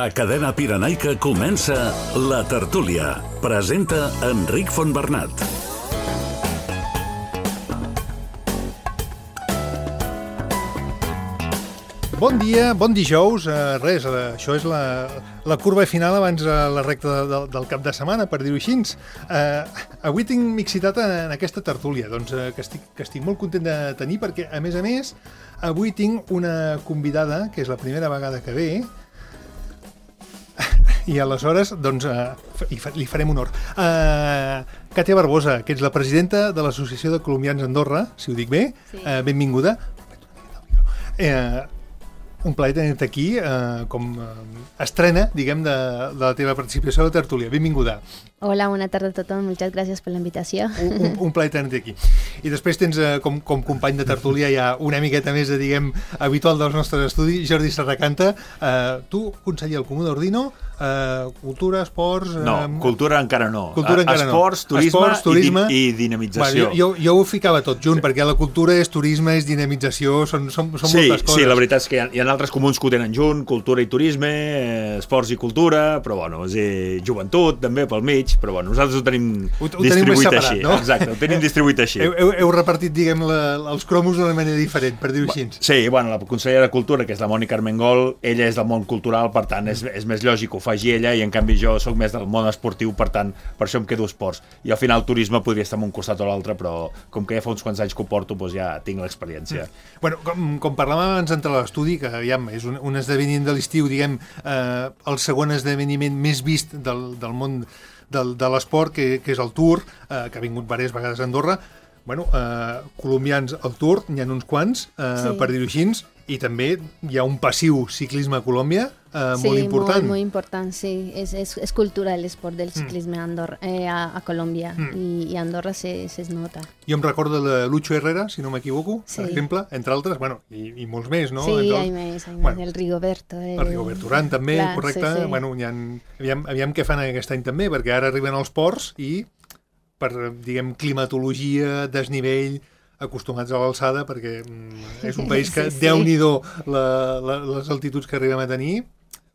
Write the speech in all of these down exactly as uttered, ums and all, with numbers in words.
A Cadena Pirenaica comença La Tertúlia. Presenta Enric Fontbernat. Bon dia, bon dijous. Uh, res, uh, això és la, la curva final abans de la recta de, del cap de setmana, per dir-ho així. Uh, avui tinc mixitat en aquesta tertúlia, doncs, uh, que, estic, que estic molt content de tenir, perquè, a més a més, avui tinc una convidada, que és la primera vegada que ve, i aleshores, doncs, uh, li farem honor. Uh, Càtia Barbosa, que ets la presidenta de l'Associació de Colombians Andorra, si ho dic bé, sí. uh, benvinguda. Uh, Un plaer tenir-te aquí, eh, com eh, estrena, diguem, de, de la teva participació a la tertúlia. Benvinguda. Hola, bona tarda a tothom. Moltes gràcies per la invitació. Un, un, un plaer tenir-te aquí. I després tens, eh, com, com company de tertúlia, ja una miqueta més, de, diguem, habitual dels nostres estudis, Jordi Serracanta. Eh, tu, conseller al Comú d'Ordino, eh, cultura, esports... Eh, no, cultura encara no. Cultura encara esports, no. Turisme, esports, turisme i, di i dinamització. Bueno, jo, jo ho ficava tot junt, sí. Perquè la cultura és turisme, és dinamització, són, són, són sí, moltes coses. Sí, la veritat és que hi ha, hi ha altres comuns que ho tenen junt, cultura i turisme, eh, esports i cultura, però bueno, és dir, joventut també pel mig, però bueno, nosaltres ho tenim ho, ho distribuït tenim separat, així. No? Exacte, ho tenim distribuït així. Heu, heu, heu repartit, diguem, la, els cromos d'una manera diferent, per dir-ho així. Sí, bueno, la consellera de Cultura, que és la Mònica Armengol, ella és del món cultural, per tant, és, és més lògic que ho faci ella, i en canvi jo sóc més del món esportiu, per tant, per això em quedo esports. I al final turisme podria estar en un costat o l'altre, però com que ja fa uns quants anys que ho porto, doncs ja tinc l'experiència. Mm. Bueno, com, com parlàvem abans d'entrar a l'estudi, que aviam, és un, un esdeveniment de l'estiu, diguem, eh, el segon esdeveniment més vist del, del món del, de l'esport, que, que és el Tour, eh, que ha vingut diverses vegades a Andorra. Bueno, eh, colombians al Tour, n'hi ha uns quants, eh, sí. Per dir-ho així, i també hi ha un passiu ciclisme a Colòmbia eh, sí, molt important. Sí, molt important, sí. És, és, és cultural l'esport del ciclisme mm. a, Andorra, eh, a, a Colòmbia, mm. i, i a Andorra se, se es nota. Jo em recordo de Lucho Herrera, si no m'equivoco, sí. Per exemple, entre altres, bueno, i, i molts més, no? Sí, hi ha més, hi ha bueno, més, el Rigoberto. El, el Rigoberto Urán també, clar, correcte. Sí, sí. Bueno, ha, aviam, aviam què fan aquest any també, perquè ara arriben els ports i per, diguem, climatologia, desnivell, acostumats a l'alçada, perquè mm, és un país que, sí, sí. Déu-n'hi-do la, la, les altituds que arribem a tenir,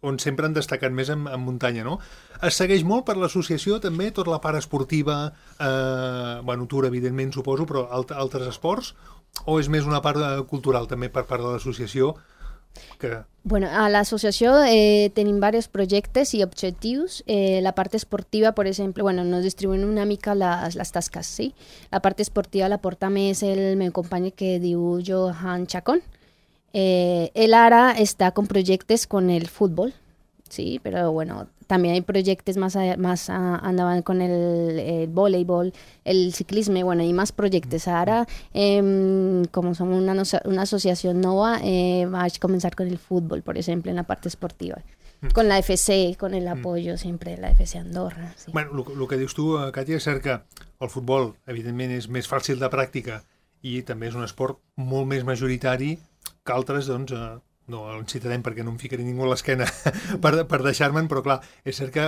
on sempre han destacat més en, en muntanya, no? Es segueix molt per l'associació també tota la part esportiva, eh, bueno, Tour, evidentment, suposo, però alt, altres esports, o és més una part cultural també per part de l'associació? Que... Bueno, a l'associació eh, tenim diversos projectes i objectius. Eh, la part esportiva, per exemple, bueno, nos distribuïm una mica les, les tasques, sí? La part esportiva la porta més el meu company que diu Johan Chacón. Eh, él ara està con projectes con el futbol, sí, però bueno, también hay proyectos más, a, más a, andaban con el, el voleibol, el ciclisme, bueno, hay más proyectos. Ahora, eh, como somos una, una asociación nova, eh, va a comenzar con el fútbol, por ejemplo, en la parte esportiva. Mm. Con la F C, con el apoyo mm. siempre de la F C Andorra. Sí. Bueno, el que dius tu, Càtia, és cert que el futbol, evidentment, és més fàcil de pràctica i també és un esport molt més majoritari que altres, doncs, eh, no el citarem perquè no em ficaré ningú a l'esquena per, per deixar-me'n, però clar, és cert que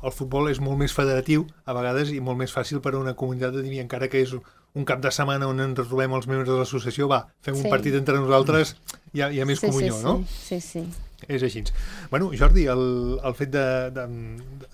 el futbol és molt més federatiu a vegades i molt més fàcil per a una comunitat de dir, encara que és un cap de setmana on ens trobem els membres de l'associació, va, fem sí. un partit entre nosaltres, hi ha, hi ha més sí, comunió, sí, no? Sí, sí. És així. Bueno, Jordi, el, el fet de, de,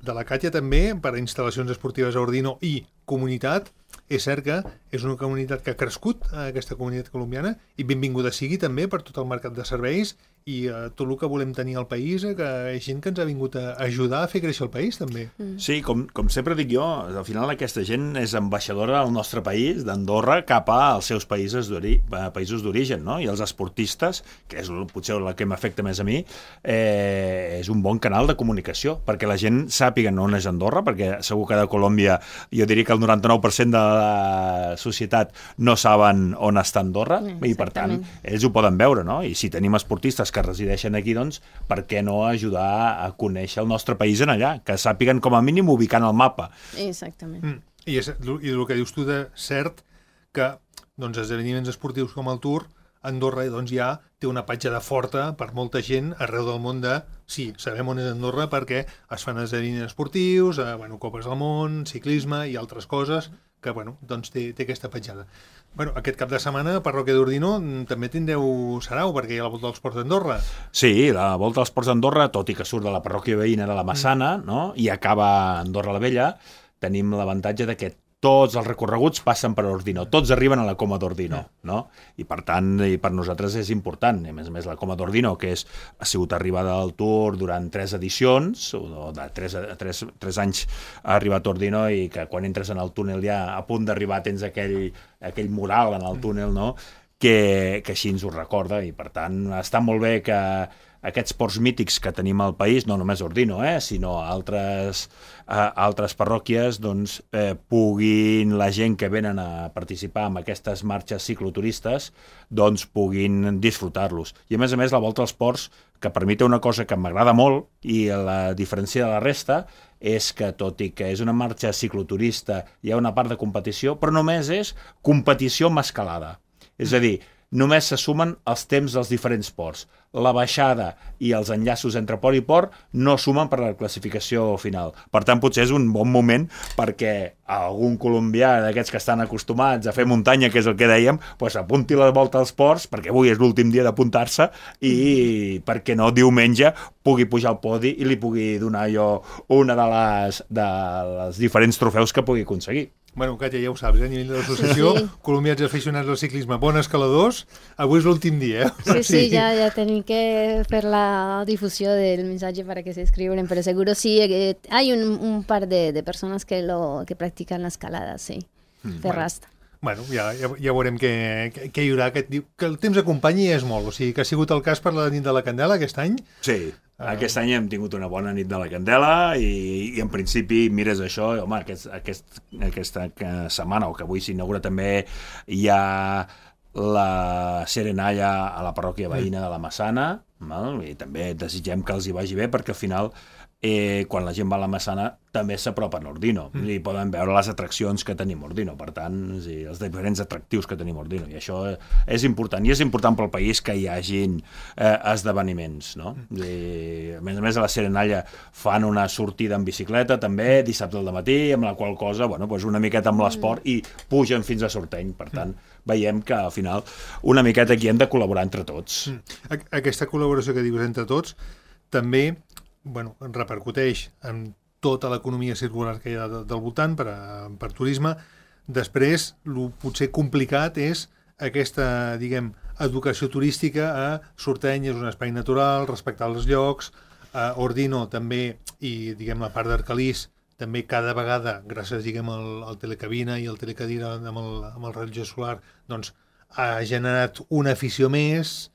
de la Càtia també, per a instal·lacions esportives a Ordino i comunitat, és cert que és una comunitat que ha crescut, aquesta comunitat colombiana, i benvinguda sigui també per tot el mercat de serveis i uh, tot el que volem tenir al país, que és gent que ens ha vingut a ajudar a fer créixer el país, també. Mm. Sí, com, com sempre dic jo, al final aquesta gent és ambaixadora del nostre país, d'Andorra, cap als seus països d'origen, no? I els esportistes, que és potser la que m'afecta més a mi, eh, és un bon canal de comunicació, perquè la gent sàpiga on és Andorra, perquè segur que de Colòmbia, jo diria que el noranta-nou per cent de la societat no saben on està Andorra, i per tant, ells ho poden veure, no? I si tenim esportistes que resideixen aquí, doncs, per què no ajudar a conèixer el nostre país en allà? Que sàpiguen com a mínim ubicant el mapa. Exactament. Mm. I, és, I el que dius tu de cert que doncs, esdeveniments esportius com el Tour Andorra doncs, ja té una petjada forta per molta gent arreu del món de, sí, sabem on és Andorra perquè es fan esdeveniments esportius, eh, bueno, Copes del Món, ciclisme i altres coses que bueno, doncs té, té aquesta petjada. Bueno, aquest cap de setmana, Parròquia d'Ordino, també tindreu sarau, perquè hi ha la Volta dels Ports d'Andorra. Sí, la Volta dels Ports d'Andorra, tot i que surt de la parròquia veïna de la Massana, mm. no? I acaba a Andorra la Vella, tenim l'avantatge de que tots els recorreguts passen per Ordino, tots arriben a la Coma d'Ordino, no? I per tant, i per nosaltres és important. A més a més, la Coma d'Ordino, que és, ha sigut arribada al Tour durant tres edicions, o de tres, tres, tres anys ha arribat a Ordino, i que quan entres en el túnel ja a punt d'arribar tens aquell, aquell mural en el túnel, no? Que, que així ens ho recorda, i per tant està molt bé que aquests ports mítics que tenim al país, no només Ordino, eh, sinó altres, eh, altres parròquies, doncs, eh, puguin, la gent que venen a participar en aquestes marxes cicloturistes, doncs puguin disfrutar-los. I a més a més la Volta als Ports, que per mi té una cosa que m'agrada molt i la diferència de la resta és que, tot i que és una marxa cicloturista, hi ha una part de competició, però només és competició amb escalada. És a dir, només se sumen els temps dels diferents ports. La baixada i els enllaços entre port i port no sumen per la classificació final. Per tant, potser és un bon moment perquè algun colombià d'aquests que estan acostumats a fer muntanya, que és el que dèiem, doncs apunti la Volta als Ports, perquè avui és l'últim dia d'apuntar-se, i perquè no diumenge pugui pujar al podi i li pugui donar jo una de les, de les diferents trofeus que pugui aconseguir. Bueno, Katja, ja ho saps, eh? A nivell de l'associació, sí, sí. Colombians aficionats al ciclisme, bons escaladors, avui és l'últim dia, eh? Sí, sí, ya, ya tenim que fer la difusió del missatge para que se escriben, pero seguro sí, eh, hay un, un par de, de personas que, lo, que practican la escalada, sí, mm, fer rasta. Bueno, ja, ja, ja veurem què, què, què hi haurà. Aquest, que el temps acompanyi és molt, o sigui que ha sigut el cas per la nit de la Candela aquest any. Sí, aquest any hem tingut una bona nit de la Candela i, i en principi mires això, i, home, aquest, aquest, aquesta setmana, o que avui s'inaugura també, hi ha la Serenalla a la parròquia veïna de la Massana, val? I també desitgem que els hi vagi bé perquè al final eh, quan la gent va a la Massana també s'apropen a Ordino mm. i poden veure les atraccions que tenim a Ordino, per tant, sí, els diferents atractius que tenim a Ordino, i això és important, i és important pel país que hi hagin eh, esdeveniments, no? Mm. I, a més a més, a la Serenalla fan una sortida en bicicleta també, dissabte al matí, amb la qual cosa, bueno, doncs una miqueta amb l'esport i pugen fins a Sorteny, per tant, veiem que al final una miqueta aquí hem de col·laborar entre tots. Mm. Aquesta col·laboració que dius entre tots també bueno, repercuteix en tota l'economia circular que hi ha del voltant per, a, per turisme. Després, el potser complicat és aquesta, diguem, educació turística a Sorteny és un espai natural, respectar els llocs, a Ordino també, i diguem la part d'Arcalís, també cada vegada, gràcies diguem al, al telecabina i al telecadira amb el, amb el rellotge solar, doncs ha generat una afició més.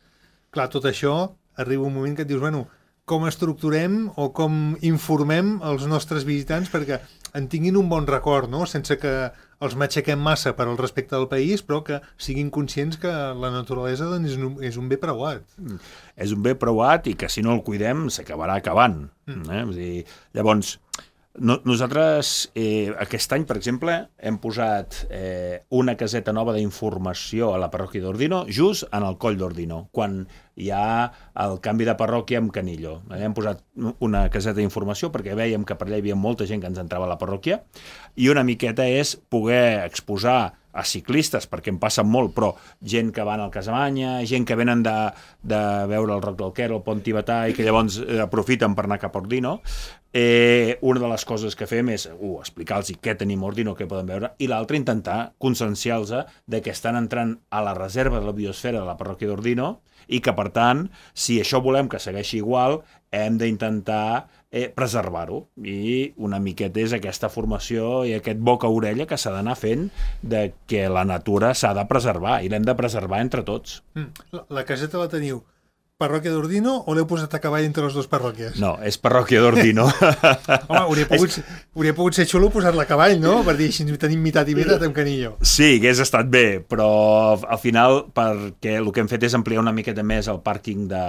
Clar, tot això arriba un moment que et dius, bueno, com estructurem o com informem els nostres visitants perquè en tinguin un bon record, no? Sense que els matxaquem massa per al respecte del país, però que siguin conscients que la naturalesa doncs, és, un, és un bé preuat. Mm. És un bé preuat i que si no el cuidem s'acabarà acabant. Mm. Eh? Vull dir, llavors, no, nosaltres eh, aquest any, per exemple, hem posat eh, una caseta nova d'informació a la parròquia d'Ordino, just en el coll d'Ordino, quan hi ha el canvi de parròquia amb Canillo. Eh, hem posat una caseta d'informació perquè vèiem que per allà hi havia molta gent que ens entrava a la parròquia, i una miqueta és poder exposar a ciclistes, perquè en passen molt, però gent que van al Casamanya, gent que venen de, de veure el Roc del Quer, el Pont Tibetà, i que llavors aprofiten per anar cap a Ordino. Eh, una de les coses que fem és uh, explicar-los què tenim a Ordino, què poden veure, i l'altra intentar conscienciar-los de que estan entrant a la reserva de la biosfera de la parròquia d'Ordino i que, per tant, si això volem que segueixi igual, hem d'intentar eh, preservar-ho. I una miqueta és aquesta formació i aquest boca a orella que s'ha d'anar fent de que la natura s'ha de preservar i l'hem de preservar entre tots. Mm. La, la caseta la teniu parròquia d'Ordino o l'heu posat a cavall entre les dues parròquies? No, és parròquia d'Ordino. Home, hauria pogut, és... hauria pogut ser xulo posar-la a cavall, no? Per dir, així tenim mitat i mitat amb Canillo. Sí, hagués estat bé, però al final perquè el que hem fet és ampliar una miqueta més el pàrquing de,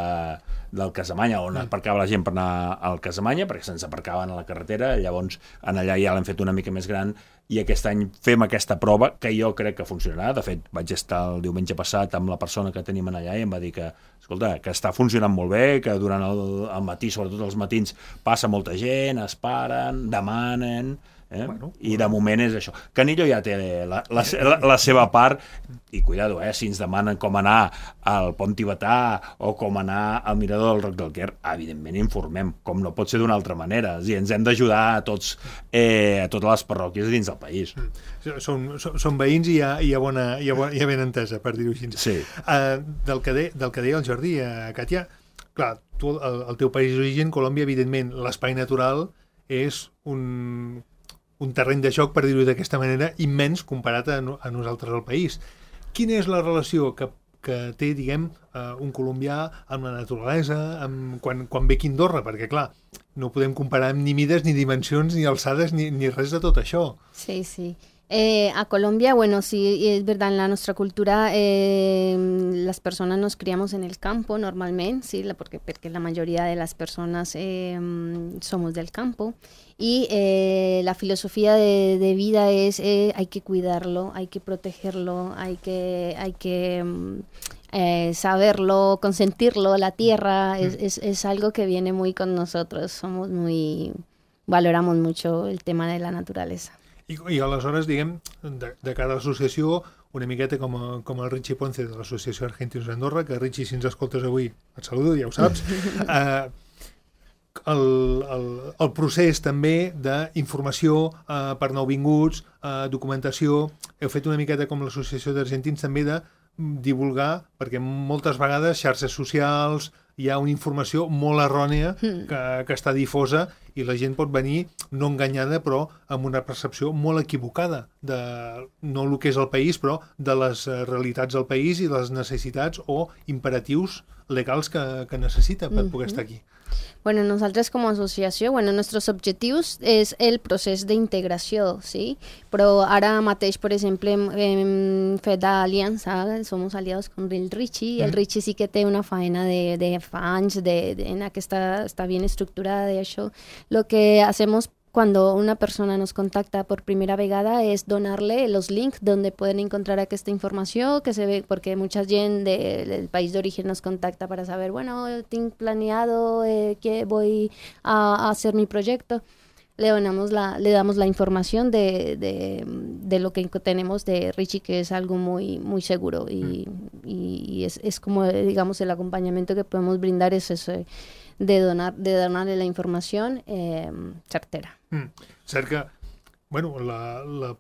del Casamanya, on mm. aparcava la gent per anar al Casamanya, perquè se'ns aparcaven a la carretera, llavors en allà ja l'hem fet una mica més gran i aquest any fem aquesta prova, que jo crec que funcionarà. De fet, vaig estar el diumenge passat amb la persona que tenim allà i em va dir que, escolta, que està funcionant molt bé, que durant el, el matí, sobretot els matins, passa molta gent, es paren, demanen... Eh? Bueno, i de moment és això. Canillo ja té la, la, la, la seva part i cuidado, eh? Si ens demanen com anar al pont tibetà o com anar al mirador del Roc del Quer, evidentment informem, com no pot ser d'una altra manera, i ens hem d'ajudar a tots, eh, a totes les parròquies dins del país. Són, són, són veïns i hi ha, hi ha, bona, hi ha, bona, hi ha ben entesa, per dir-ho així. Sí. Uh, del, que de, del que deia el Jordi, uh, Katia, clar, tu, el, el teu país d'origen, Colòmbia, evidentment, l'espai natural és un... un terreny de joc, per dir-ho d'aquesta manera, immens comparat a, no, a nosaltres al país. Quina és la relació que, que té, diguem, uh, un colombià amb la naturalesa, amb, quan, quan ve aquí a Andorra? Perquè, clar, no podem comparar amb ni mides, ni dimensions, ni alçades, ni, ni res de tot això. Sí, sí. Eh, a Colombia, bueno, sí, es verdad, en la nuestra cultura eh, las personas nos criamos en el campo normalmente, sí, porque, porque la mayoría de las personas eh, somos del campo y eh, la filosofía de, de vida es eh, hay que cuidarlo, hay que protegerlo, hay que, hay que eh, saberlo, consentirlo, la tierra, mm. es, es, es algo que viene muy con nosotros, somos muy, valoramos mucho el tema de la naturaleza. I, i aleshores, diguem, de, de cara a l'associació, una miqueta com, a, com el Richie Ponce de l'Associació Argentinos d'Andorra, que Richie, si ens escoltes avui, et saludo, ja ho saps, eh, el, el, el procés també d'informació eh, per nouvinguts, eh, documentació, heu fet una miqueta com l'Associació d'Argentins també de divulgar, perquè moltes vegades xarxes socials, hi ha una informació molt errònia que, que està difosa i la gent pot venir no enganyada però amb una percepció molt equivocada de no el que és el país però de les realitats del país i de les necessitats o imperatius legals que, que necessita per poder estar aquí. Bueno, nosaltres com a associació, bueno, nostres objectius és el procés d'integració, sí? Però ara mateix, per exemple, hem, hem fet aliança, som aliados con el Richie, i el Richie sí que té una faena de, de fa anys, de, de, en aquesta està bien estructurada d'això. Lo que hacemos cuando una persona nos contacta por primera vegada es donarle los links donde pueden encontrar esta información que se ve, porque mucha gente de, del país de origen nos contacta para saber, bueno, tengo planeado eh, que voy a, a hacer mi proyecto. Le donamos la, le damos la información de, de, de lo que tenemos de Richie, que es algo muy, muy seguro y, mm. y, y es, es como, digamos, el acompañamiento que podemos brindar es ese, de donar de donarle la informació eh, certera. Mm. Cert que, bueno, la, la,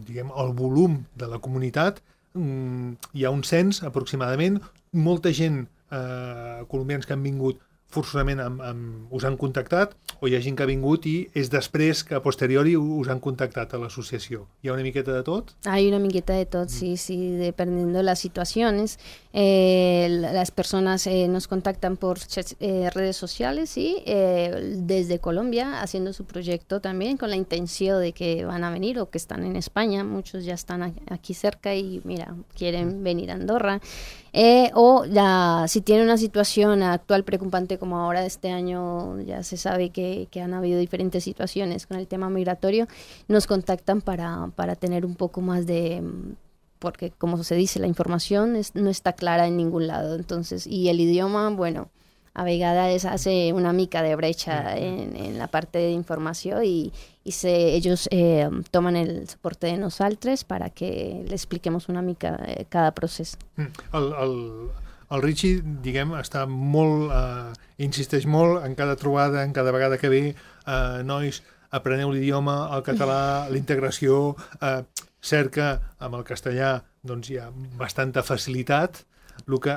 diguem, el volum de la comunitat, mm, hi ha un cens aproximadament, molta gent eh, colombians que han vingut forçosament amb, amb, us han contactat, o hi ha gent que ha vingut i és després que a posteriori us han contactat a l'associació. Hi ha una miqueta de tot? Hay una miqueta de tot, sí, sí, dependiendo de las situaciones. Eh, las personas eh, nos contactan por eh, redes sociales, sí, eh, desde Colombia, haciendo su proyecto también con la intención de que van a venir o que están en España. Muchos ya están aquí cerca y, mira, quieren venir a Andorra. Eh, o la, si tiene una situación actual preocupante como ahora este año, ya se sabe que, que han habido diferentes situaciones con el tema migratorio, nos contactan para, para tener un poco más de, porque como se dice, la información es, no está clara en ningún lado, entonces, y el idioma, bueno, a vegades hace una mica de brecha en, en la parte de información y, y se, ellos eh, toman el soporte de nosaltres para que le expliquemos una mica eh, cada procés. El, el, el Richie, diguem, està molt, eh, insisteix molt en cada trobada, en cada vegada que ve, eh, nois, apreneu l'idioma, el català, la integració, eh, cert que amb el castellà doncs, hi ha bastanta facilitat, el que,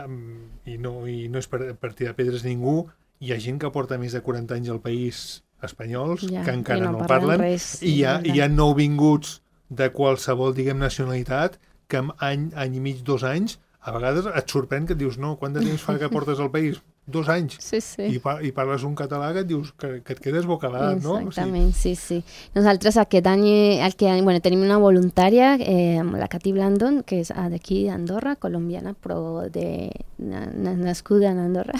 i no, i no és per, per tirar pedres a ningú, hi ha gent que porta més de quaranta anys al país espanyols, ja, que encara no, no parlen, res, i hi ha, hi ha nouvinguts de qualsevol, diguem, nacionalitat, que en any, any i mig, dos anys, a vegades et sorprèn que et dius, no, quant de temps fa que portes al país? dos anys sí, sí. I, pa i parles un català que et dius que, que et quedes bocadat, no? Exactament, o sigui... sí, sí. Nosaltres aquest any, el que, bueno, tenim una voluntària, eh, la Cati Blandon, que és d'aquí d'Andorra, colombiana, però de, na, nascuda en Andorra.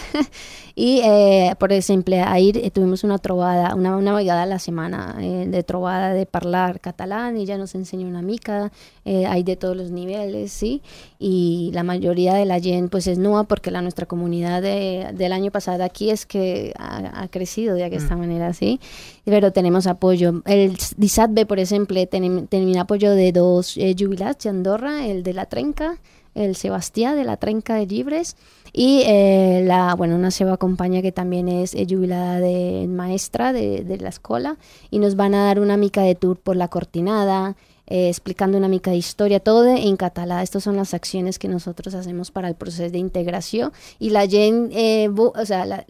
I, eh, per exemple, ahir eh, tuvimos una trobada, una, una vegada a la setmana eh, de trobada de parlar català, i ella nos enseña una mica, eh, hay de todos los niveles, ¿sí? Y la mayoría de la gent pues es nova porque la nuestra comunidad de, del año pasado aquí es que ha, ha crecido de esta mm. manera, ¿sí? Pero tenemos apoyo. El dissabte, por ejemplo, tenim, tenim apoyo de dos eh, jubilats de Andorra, el de la Trenca, el Sebastià de la Trenca de Llibres, y eh, la, bueno, una seva companya que también es eh, jubilada de maestra de, de la escuela, y nos van a dar una mica de tour por la Cortinada, Eh, explicando una mica de historia, todo de, en català. Estas son las acciones que nosotros hacemos para el proceso de integración, y la gent, eh, o sea, la,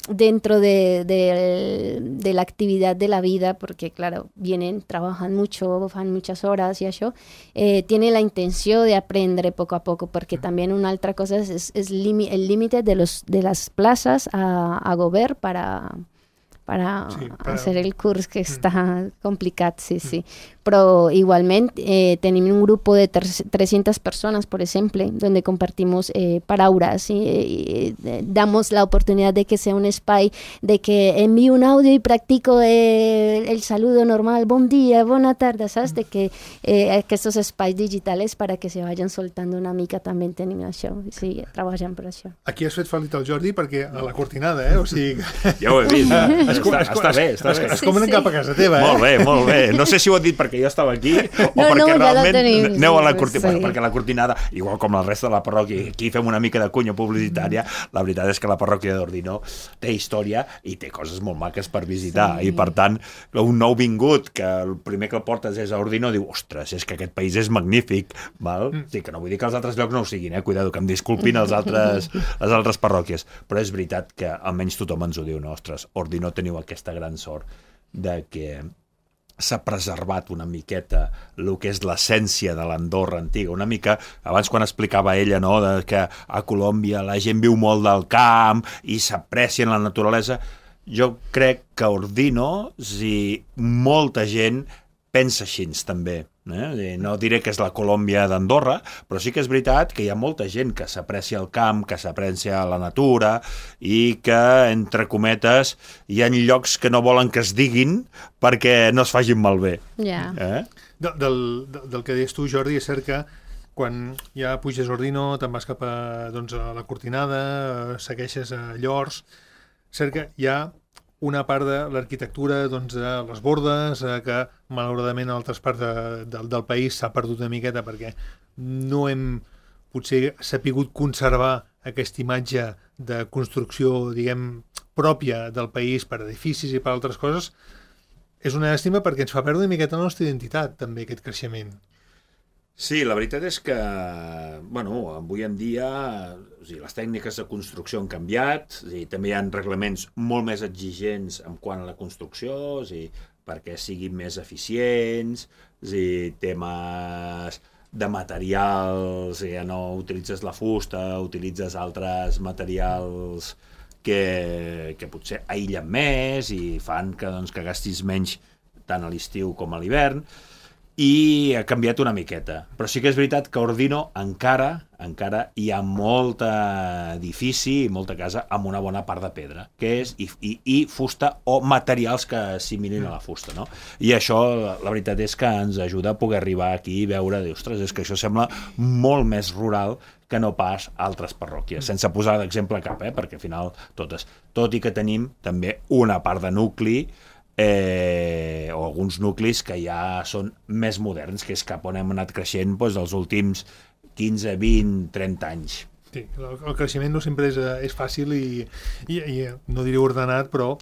dentro de, de, de la actividad de la vida, porque claro, vienen, trabajan mucho, fan muchas horas y eso, eh, tiene la intención de aprender poco a poco, porque también una otra cosa es, es, es limi, el límite de, los, de las plazas a, a govern para... para sí, para... hacer el curs, que està mm. complicat, sí, sí. Però igualment eh, tenim un grupo de trescientas personas, por ejemplo, donde compartimos eh, palabras y eh, eh, damos la oportunidad de que sea un espai, de que envío un audio y practico eh, el saludo normal, bon dia, bona tarda, saps? De que eh, aquests espais digitales para que se vayan soltando una mica també tenim això, sí, treballant per això. Aquí has fet fal·lit el Jordi perquè a la Cortinada, eh? O sigui... Ja ho he vist, es, està, es, està bé, està es, bé. Es, es comenen sí, cap a casa teva, eh? Molt bé, molt bé. No sé si ho he dit perquè jo estava aquí o no, perquè no, realment ja tenim, aneu a la sí, Cortinada, sí. bueno, perquè la Cortinada, igual com la resta de la parròquia, aquí fem una mica de cunya publicitària, la veritat és que la parròquia d'Ordino té història i té coses molt maques per visitar, sí. I per tant, un nou vingut, que el primer que el portes és a Ordino, diu, ostres, és que aquest país és magnífic, val? Mm. Sí, que no vull dir que els altres llocs no ho siguin, eh? Cuidado, que em disculpin els altres, les altres parròquies, però és veritat que almenys tothom ens ho diu, no? Ostres, Ordino teniu aquesta gran sort de que s'ha preservat una miqueta el que és l'essència de l'Andorra antiga, una mica, abans quan explicava ella, no, de que a Colòmbia la gent viu molt del camp i s'aprecia la naturalesa, jo crec que a Ordino, si molta gent pensa així també, eh? No diré que és la Colòmbia d'Andorra, però sí que és veritat que hi ha molta gent que s'aprecia el camp, que s'aprecia la natura i que, entre cometes, hi ha llocs que no volen que es diguin perquè no es facin malbé. Yeah. Eh? De, del, del que deies tu, Jordi, és cert que quan ja puges a Ordino, te'n vas cap a, doncs, a la Cortinada, segueixes a Llors, cert que hi ha una part de l'arquitectura, doncs, de les bordes, eh, que malauradament en altres parts de, de, del país s'ha perdut una miqueta perquè no hem potser sapigut conservar aquesta imatge de construcció, diguem, pròpia del país per edificis i per altres coses. És una llàstima perquè ens fa perdre una miqueta la nostra identitat, també, aquest creixement. Sí, la veritat és que, bueno, avui en dia o sigui, les tècniques de construcció han canviat, o sigui, també hi ha reglaments molt més exigents en quant a la construcció, o sigui, perquè siguin més eficients, o sigui, temes de materials, ja no utilitzes la fusta, utilitzes altres materials que, que potser aïllen més i fan que, doncs, que gastis menys tant a l'estiu com a l'hivern, i ha canviat una miqueta. Però sí que és veritat que a Ordino encara, encara hi ha molt edifici i molta casa amb una bona part de pedra, que és i, i, i fusta o materials que assimilin a la fusta, no? I això, la veritat és que ens ajuda a poder arribar aquí i veure, ostres, és que això sembla molt més rural que no pas altres parròquies, sense posar d'exemple cap, eh? Perquè al final totes, tot i que tenim també una part de nucli, Eh, o alguns nuclis que ja són més moderns, que és cap on hem anat creixent doncs, els últims quinze, vint, trenta anys. Sí, el, el creixement no sempre és, és fàcil i, i, i no diré ordenat, però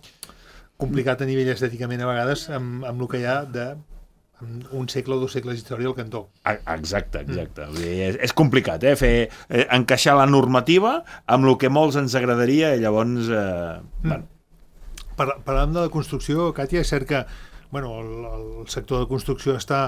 complicat a nivell estèticament a vegades amb, amb el que hi ha de un segle o dos segles d'història al cantó. Exacte, exacte. Mm. És, és complicat, eh? Fer, eh, encaixar la normativa amb el que molts ens agradaria i llavors... Eh, mm. bueno, Parlant de la construcció, Càtia, és cert que bueno, el, el sector de construcció està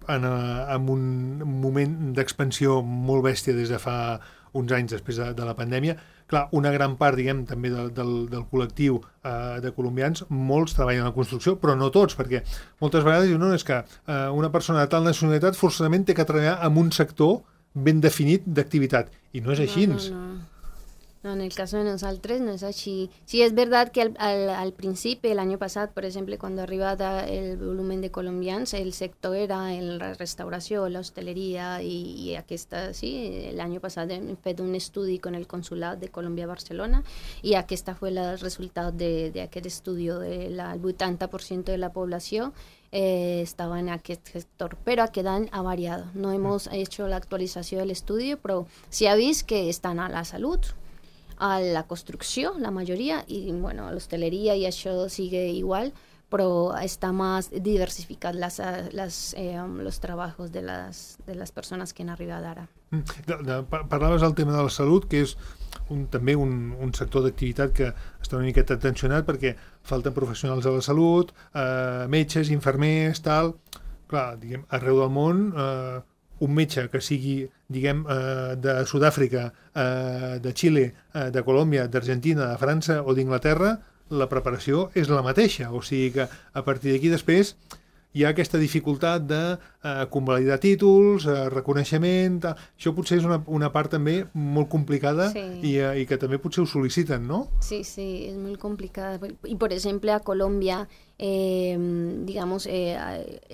en, en un moment d'expansió molt bèstia des de fa uns anys després de, de la pandèmia, clar, una gran part, diguem, també del, del, del col·lectiu eh, de colombians, molts treballen a la construcció, però no tots, perquè moltes vegades diuen, no, és que eh, una persona de tal nacionalitat forçosament té que treballar en un sector ben definit d'activitat, i no és així. No, no, no. No, en el caso de nosotros no es así. Sí, es verdad que al, al, al principio, el año pasado, por ejemplo, cuando arriba el volumen de colombianos, el sector era la restauración, la hostelería y, y aquí está, sí, el año pasado he hecho un estudio con el Consulado de Colombia a Barcelona y aquí está fue el resultado de, de aquel estudio, de la, el ochenta por ciento de la población eh, estaba en aquel sector, pero aquí dan ha variado. No hemos hecho la actualización del estudio, pero sí habéis que están a la salud, a la construcció, la majoria, i bueno, a l'hostaleria i això sigue igual, però està més diversificat les, les, eh, los trabajos de les, de les persones que han arribat ara. De, de, parlaves del tema de la salut, que és un, també un, un sector d'activitat que està una miqueta tensionat perquè falten professionals de la salut, eh, metges, infermers, tal. Clar, diguem, arreu del món, eh, un metge que sigui, diguem, eh, de Sud-àfrica, eh, de Xile, eh, de Colòmbia, d'Argentina, de França o d'Inglaterra, la preparació és la mateixa. O sigui que a partir d'aquí després hi ha aquesta dificultat de eh, convalidar títols, eh, reconeixement... Tal. Això potser és una, una part també molt complicada sí. i, eh, i que també potser ho sol·liciten, no? Sí, sí, es muy complicada. Y por ejemplo a Colombia, eh, digamos, eh,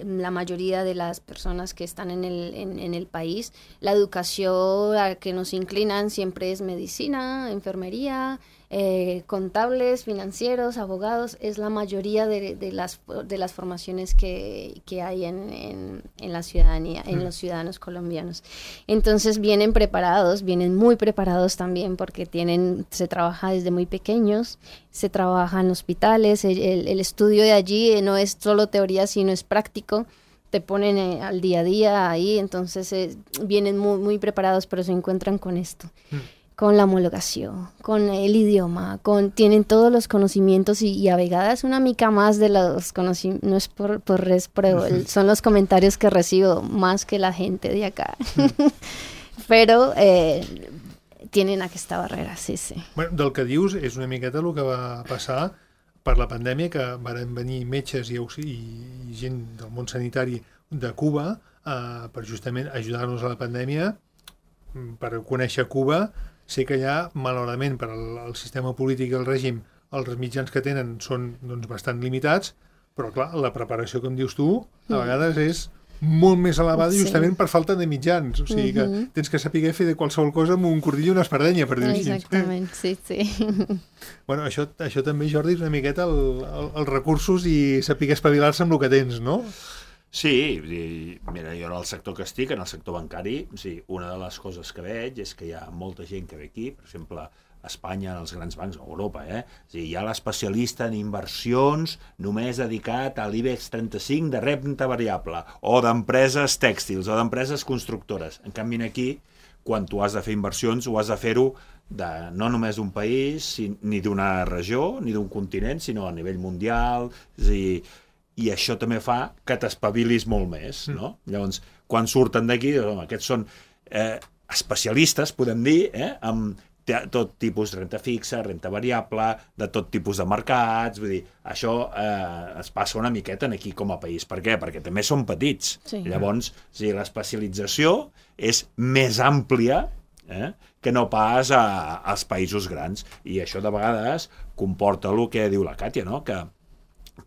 la mayoría de las personas que están en el, en, en el país, la educación a que nos inclinan siempre es medicina, enfermería, eh, contables, financieros, abogados, es la mayoría de, de, las, de las formaciones que, que hay en, en, en la ciudadanía, en los ciudadanos colombianos. Entonces vienen preparados, vienen muy preparados también porque tienen, se trabaja desde muy pequeños, se trabaja en hospitales, el, el, el estudio de allí no es solo teoría, sino es práctico, te ponen eh, al día a día ahí, entonces eh, vienen muy, muy preparados, pero se encuentran con esto. Mm. Con la homologación, con el idioma, con tienen todos los conocimientos y, y a vegades una mica más de los conocimientos, no es por, por res, pero el, son los comentarios que recibo más que la gente de acá. Però eh, tienen aquesta barrera, sí, sí. Bueno, del que dius és una miqueta el que va passar per la pandèmia, que varen venir metges i, i, i gent del món sanitari de Cuba eh, per justament ajudar-nos a la pandèmia, per conèixer Cuba. Sé que allà, malauradament, per al, al sistema polític i el règim, els mitjans que tenen són doncs, bastant limitats, però clar, la preparació, com dius tu, a vegades és molt més elevada sí. justament per falta de mitjans. O sigui que uh-huh. tens que saber fer de qualsevol cosa amb un cordill i una espardenya, per dir-ho així. Exactament, sí, sí. Bueno, això, això també, Jordi, és una miqueta el, el, els recursos i saber espavilar-se amb el que tens, no? Sí, mira, jo en el sector que estic, en el sector bancari, sí, una de les coses que veig és que hi ha molta gent que ve aquí, per exemple, a Espanya, en els grans bancs, a Europa, eh? O sigui, hi ha l'especialista en inversions només dedicat a l'IBEX trenta-cinc de renda variable, o d'empreses tèxtils, o d'empreses constructores. En canvi, aquí, quan tu has de fer inversions, ho has de fer-ho de, no només d'un país, ni d'una regió, ni d'un continent, sinó a nivell mundial, és a dir, i això també fa que t'espavilis molt més, no? Mm. Llavors, quan surten d'aquí, aquests són eh, especialistes, podem dir, eh, amb tot tipus de renta fixa, renta variable, de tot tipus de mercats, vull dir, això eh, es passa una miqueta aquí com a país. Per què? Perquè també són petits. Sí. Llavors, o sigui, l'especialització és més àmplia eh, que no pas a, als països grans. I això de vegades comporta el que diu la Càtia, no? Que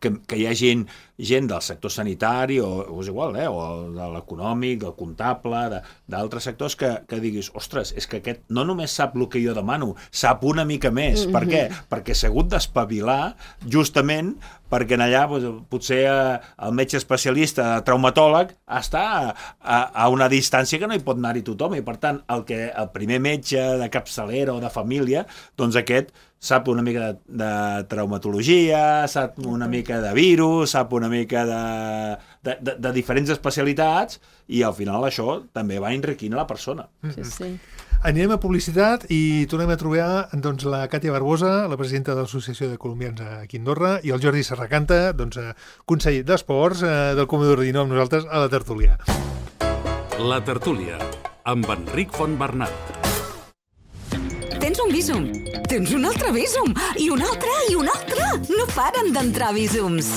Que, que hi ha gent, gent del sector sanitari o, o és igual, eh? O de l'econòmic, del comptable, d'altres sectors que, que diguis, ostres, és que aquest no només sap el que jo demano, sap una mica més. Mm-hmm. Per què? Perquè s'ha hagut d'espavilar justament perquè en allà doncs, potser el metge especialista traumatòleg està a, a, a una distància que no hi pot anar-hi tothom i per tant el, que, el primer metge de capçalera o de família, doncs aquest sap una mica de, de traumatologia, sap una mica de virus, sap una mica de, de, de, de diferents especialitats i al final això també va enriquint a la persona. Sí, sí. Anirem a publicitat i tornem a trobar doncs, la Càtia Barbosa, la presidenta de l'Associació de Colombians aquí a Andorra, i el Jordi Serracanta, doncs, conseller d'Esports eh, del Comodor Dino, amb nosaltres a la tertúlia. La tertúlia, amb Enric Fontbernat. Tens un Bizum. Tens un altre Bizum. I un altre, i un altre. No paren d'entrar Bizums.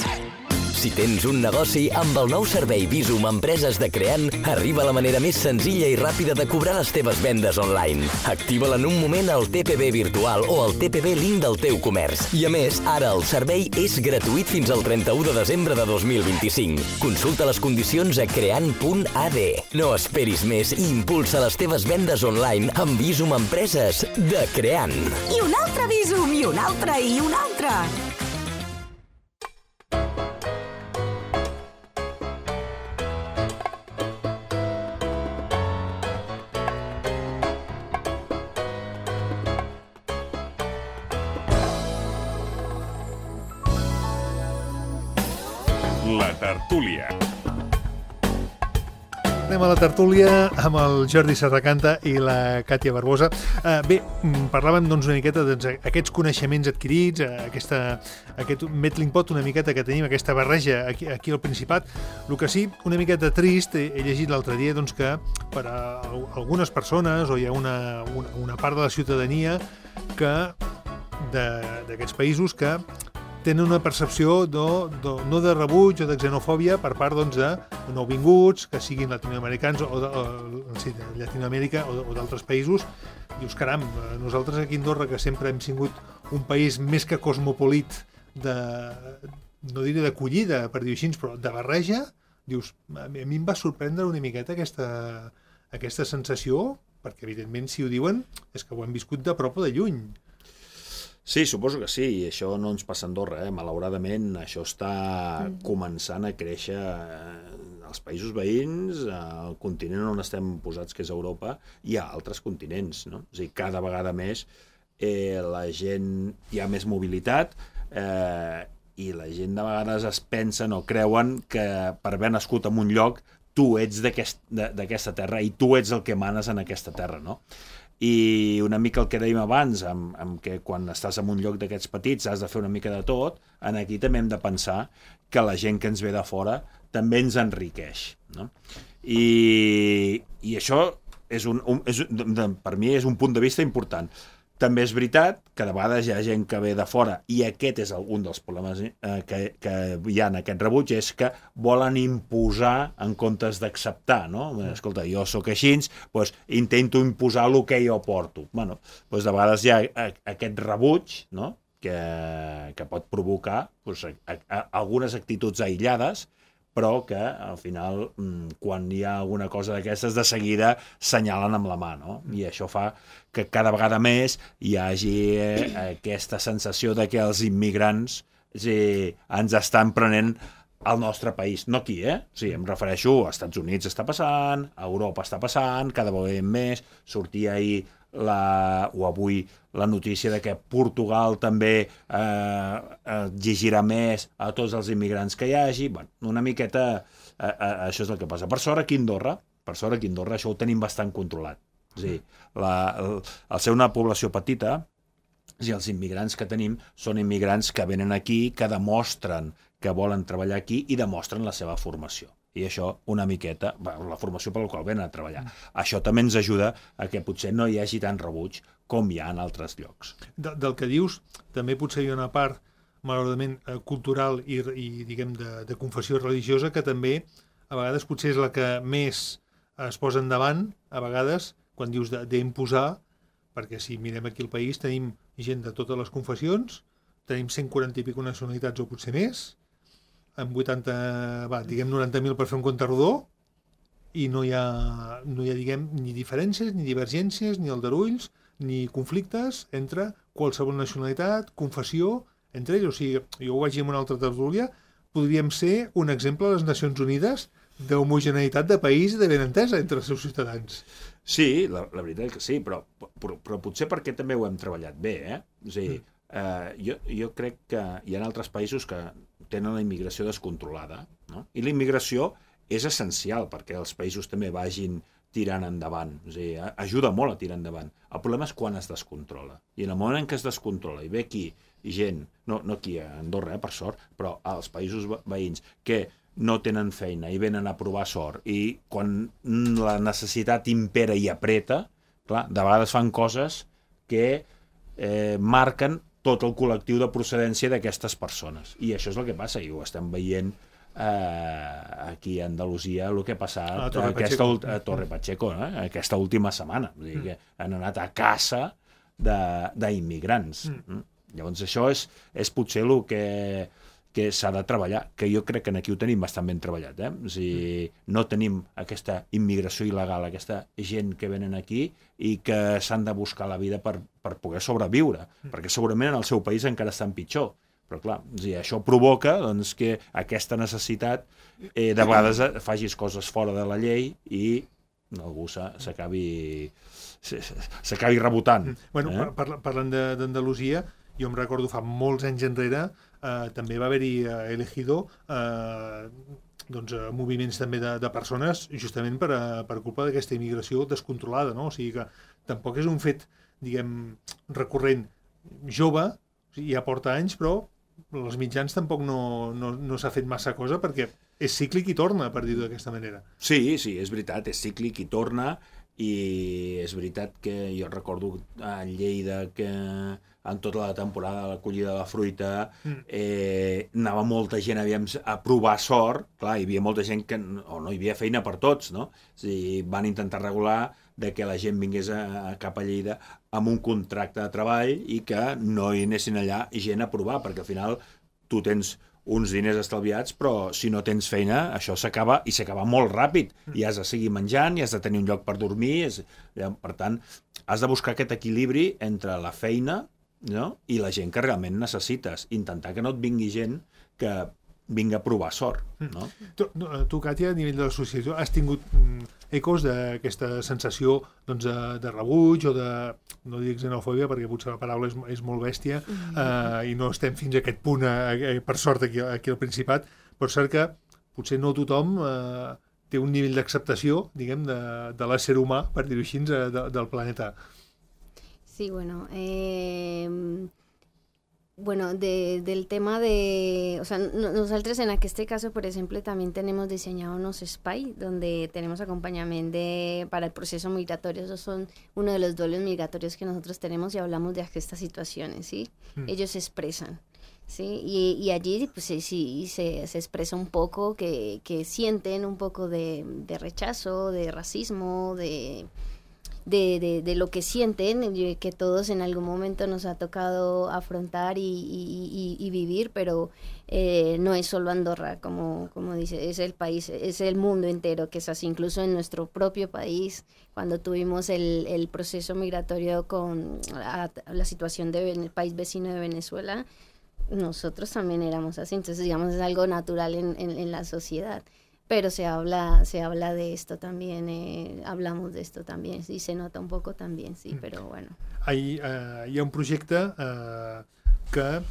Si tens un negoci, amb el nou servei Bizum Empreses de Creant, arriba la manera més senzilla i ràpida de cobrar les teves vendes online. Activa-la en un moment al T P B virtual o al T P B link del teu comerç. I a més, ara el servei és gratuït fins al trenta-u de desembre de dos mil vint-i-cinc. Consulta les condicions a creant punt a d. No esperis més i impulsa les teves vendes online amb Bizum Empreses de Creant. I un altre Bizum, i un altre, i un altre. La tertúlia. Anem a la tertúlia amb el Jordi Serracanta i la Càtia Barbosa. Uh, bé, parlàvem doncs, una miqueta d'aquests coneixements adquirits, aquesta, aquest melting pot una miqueta que tenim, aquesta barreja aquí, aquí al Principat. El que sí, una miqueta trist, he, he llegit l'altre dia doncs, que per a algunes persones o hi ha una, una, una part de la ciutadania que d'aquests països que tenen una percepció de, de, no de rebuig o de xenofòbia per part doncs, de nouvinguts, que siguin latinoamericans o de, o, sí, de Llatinoamèrica o, o d'altres països. Dius, caram, nosaltres aquí a Andorra, que sempre hem sigut un país més que cosmopolit, de, no diré d'acollida, per dir-ho així, però de barreja, dius, a mi em va sorprendre una miqueta aquesta, aquesta sensació, perquè evidentment si ho diuen és que ho hem viscut de prop o de lluny. Sí, suposo que sí, i això no ens passa a Andorra, eh? Malauradament això està mm. començant a créixer als països veïns, al continent on estem posats, que és Europa, i a altres continents, no? És a dir, cada vegada més eh, la gent, hi ha més mobilitat, eh, i la gent de vegades es pensen o creuen que per haver nascut en un lloc tu ets d'aquesta terra i tu ets el que manes en aquesta terra, no? I una mica el que dèiem abans, amb, amb que quan estàs en un lloc d'aquests petits has de fer una mica de tot, en aquí també hem de pensar que la gent que ens ve de fora també ens enriqueix, no? I, i això és un, un, és, per mi és un punt de vista important. També és veritat que de vegades hi ha gent que ve de fora i aquest és un dels problemes eh, que, que hi ha en aquest rebuig, és que volen imposar en comptes d'acceptar, no? Escolta, jo sóc així, doncs intento imposar el que jo porto. Bueno, doncs de vegades hi ha aquest rebuig, no? que, que pot provocar doncs, a, a, algunes actituds aïllades, però que al final, quan hi ha alguna cosa d'aquestes, de seguida senyalen amb la mà, no? I això fa que cada vegada més hi hagi eh, aquesta sensació de que els immigrants eh, ens estan prenent al nostre país, no aquí, eh? O sigui, em refereixo a Estats Units està passant, a Europa està passant, cada vegada més, sortia ahir la, o avui la notícia de que Portugal també eh, exigirà més a tots els immigrants que hi hagi. Bueno, una miqueta eh, eh, això és el que passa. Per sort aquí a Andorra, per sort aquí a Andorra això ho tenim bastant controlat. És a dir, la, el, al ser una població petita, i els immigrants que tenim són immigrants que venen aquí, que demostren que volen treballar aquí i demostren la seva formació. I això una miqueta, la formació per la qual venen a treballar. Mm. Això també ens ajuda a que potser no hi hagi tant rebuig com hi ha en altres llocs. De, del que dius, també potser hi ha una part, malauradament, cultural i, i diguem, de, de confessió religiosa que també, a vegades, potser és la que més es posa endavant, a vegades, quan dius d'imposar, perquè si mirem aquí al país tenim gent de totes les confessions, tenim cent quaranta i pico nacionalitats o potser més, amb vuitanta, va, diguem noranta mil per fer un compte rodó, i no hi ha, no hi ha diguem, ni diferències, ni divergències, ni aldarulls, ni conflictes entre qualsevol nacionalitat, confessió, entre ells. O sigui, jo ho vaig dir en una altra tertúlia, podríem ser un exemple a les Nacions Unides d'homogeneïtat de país i de benentesa entre els seus ciutadans. Sí, la, la veritat és que sí, però, però, però potser perquè també ho hem treballat bé, eh? O sigui, mm. eh, jo, jo crec que hi ha altres països que tenen la immigració descontrolada, no? I la immigració és essencial perquè els països també vagin tirant endavant, o sigui, ajuda molt a tirar endavant. El problema és quan es descontrola. I en el moment en què es descontrola i ve aquí gent, no, no aquí a Andorra, eh, per sort, però als països veïns, que no tenen feina i venen a provar sort, i quan la necessitat impera i apreta, clar, de vegades fan coses que eh, marquen tot el col·lectiu de procedència d'aquestes persones. I això és el que passa, i ho estem veient eh, aquí a Andalusia, el que ha passat a Torre aquesta, Pacheco, a Torre Pacheco eh, aquesta última setmana. Vull dir que han anat a caça d'immigrants. Mm. Llavors això és, és potser el que, que s'ha de treballar, que jo crec que aquí ho tenim bastant ben treballat. Eh? O sigui, no tenim aquesta immigració il·legal, aquesta gent que venen aquí i que s'han de buscar la vida per, per poder sobreviure, mm. perquè segurament en el seu país encara estan pitjor. Però clar, o sigui, això provoca doncs, que aquesta necessitat eh, de vegades facis coses fora de la llei i algú s'acabi s'acabi rebotant. Bueno, eh? par parlant d'Andalusia, jo em recordo fa molts anys enrere, eh, també va haver-hi eh, elegido eh, doncs, eh, moviments també de, de persones justament per, a, per culpa d'aquesta immigració descontrolada, no? O sigui que tampoc és un fet, diguem, recurrent jove, o sigui, ja porta anys, però els mitjans tampoc no, no, no s'ha fet massa cosa perquè és cíclic i torna, per dir-ho d'aquesta manera. Sí, sí, és veritat, és cíclic i torna, i és veritat que jo recordo a Lleida que en tota la temporada de la collida de la fruita eh, anava molta gent aviam, a provar sort, clar, hi havia molta gent que o no hi havia feina per tots, no? O sigui, van intentar regular de que la gent vingués a, a cap a Lleida amb un contracte de treball i que no hi anessin allà gent a provar, perquè al final tu tens uns diners estalviats, però si no tens feina, això s'acaba, i s'acaba molt ràpid, i has de seguir menjant, i has de tenir un lloc per dormir, és, per tant, has de buscar aquest equilibri entre la feina, no?, i la gent que realment necessites, intentar que no et vingui gent que vinga a provar sort, no? Tu, tu Càtia, a nivell de l'associació, has tingut mm, ecos d'aquesta sensació doncs, de, de rebuig o de, no dic xenofòbia perquè potser la paraula és, és molt bèstia mm. eh, i no estem fins a aquest punt, eh, per sort, aquí, aquí al Principat, però és cert que potser no tothom eh, té un nivell d'acceptació, diguem, de, de l'ésser humà, per dir-ho així, de, del planeta. Sí, bueno, eh... Bueno, de, del tema de, o sea, no, nosotros en este caso, por ejemplo, también tenemos diseñado unos S P Y, donde tenemos acompañamiento de, para el proceso migratorio. Esos son uno de los duelos migratorios que nosotros tenemos y hablamos de estas situaciones, ¿sí? Mm. Ellos se expresan, ¿sí? Y, y allí, pues sí, sí se, se expresa un poco que, que sienten un poco de, de rechazo, de racismo, de... De, de, de lo que sienten, que todos en algún momento nos ha tocado afrontar y, y, y, y vivir, pero eh, no es solo Andorra, como, como dice, es el país, es el mundo entero que es así. Incluso en nuestro propio país, cuando tuvimos el, el proceso migratorio con la, la situación del país vecino de Venezuela, nosotros también éramos así. Entonces, digamos, es algo natural en, en, en la sociedad. Pero se habla, se habla de esto también, eh, hablamos de esto también, y se nota un poco también, sí, però bueno. Hi, uh, hi ha un projecte uh, que el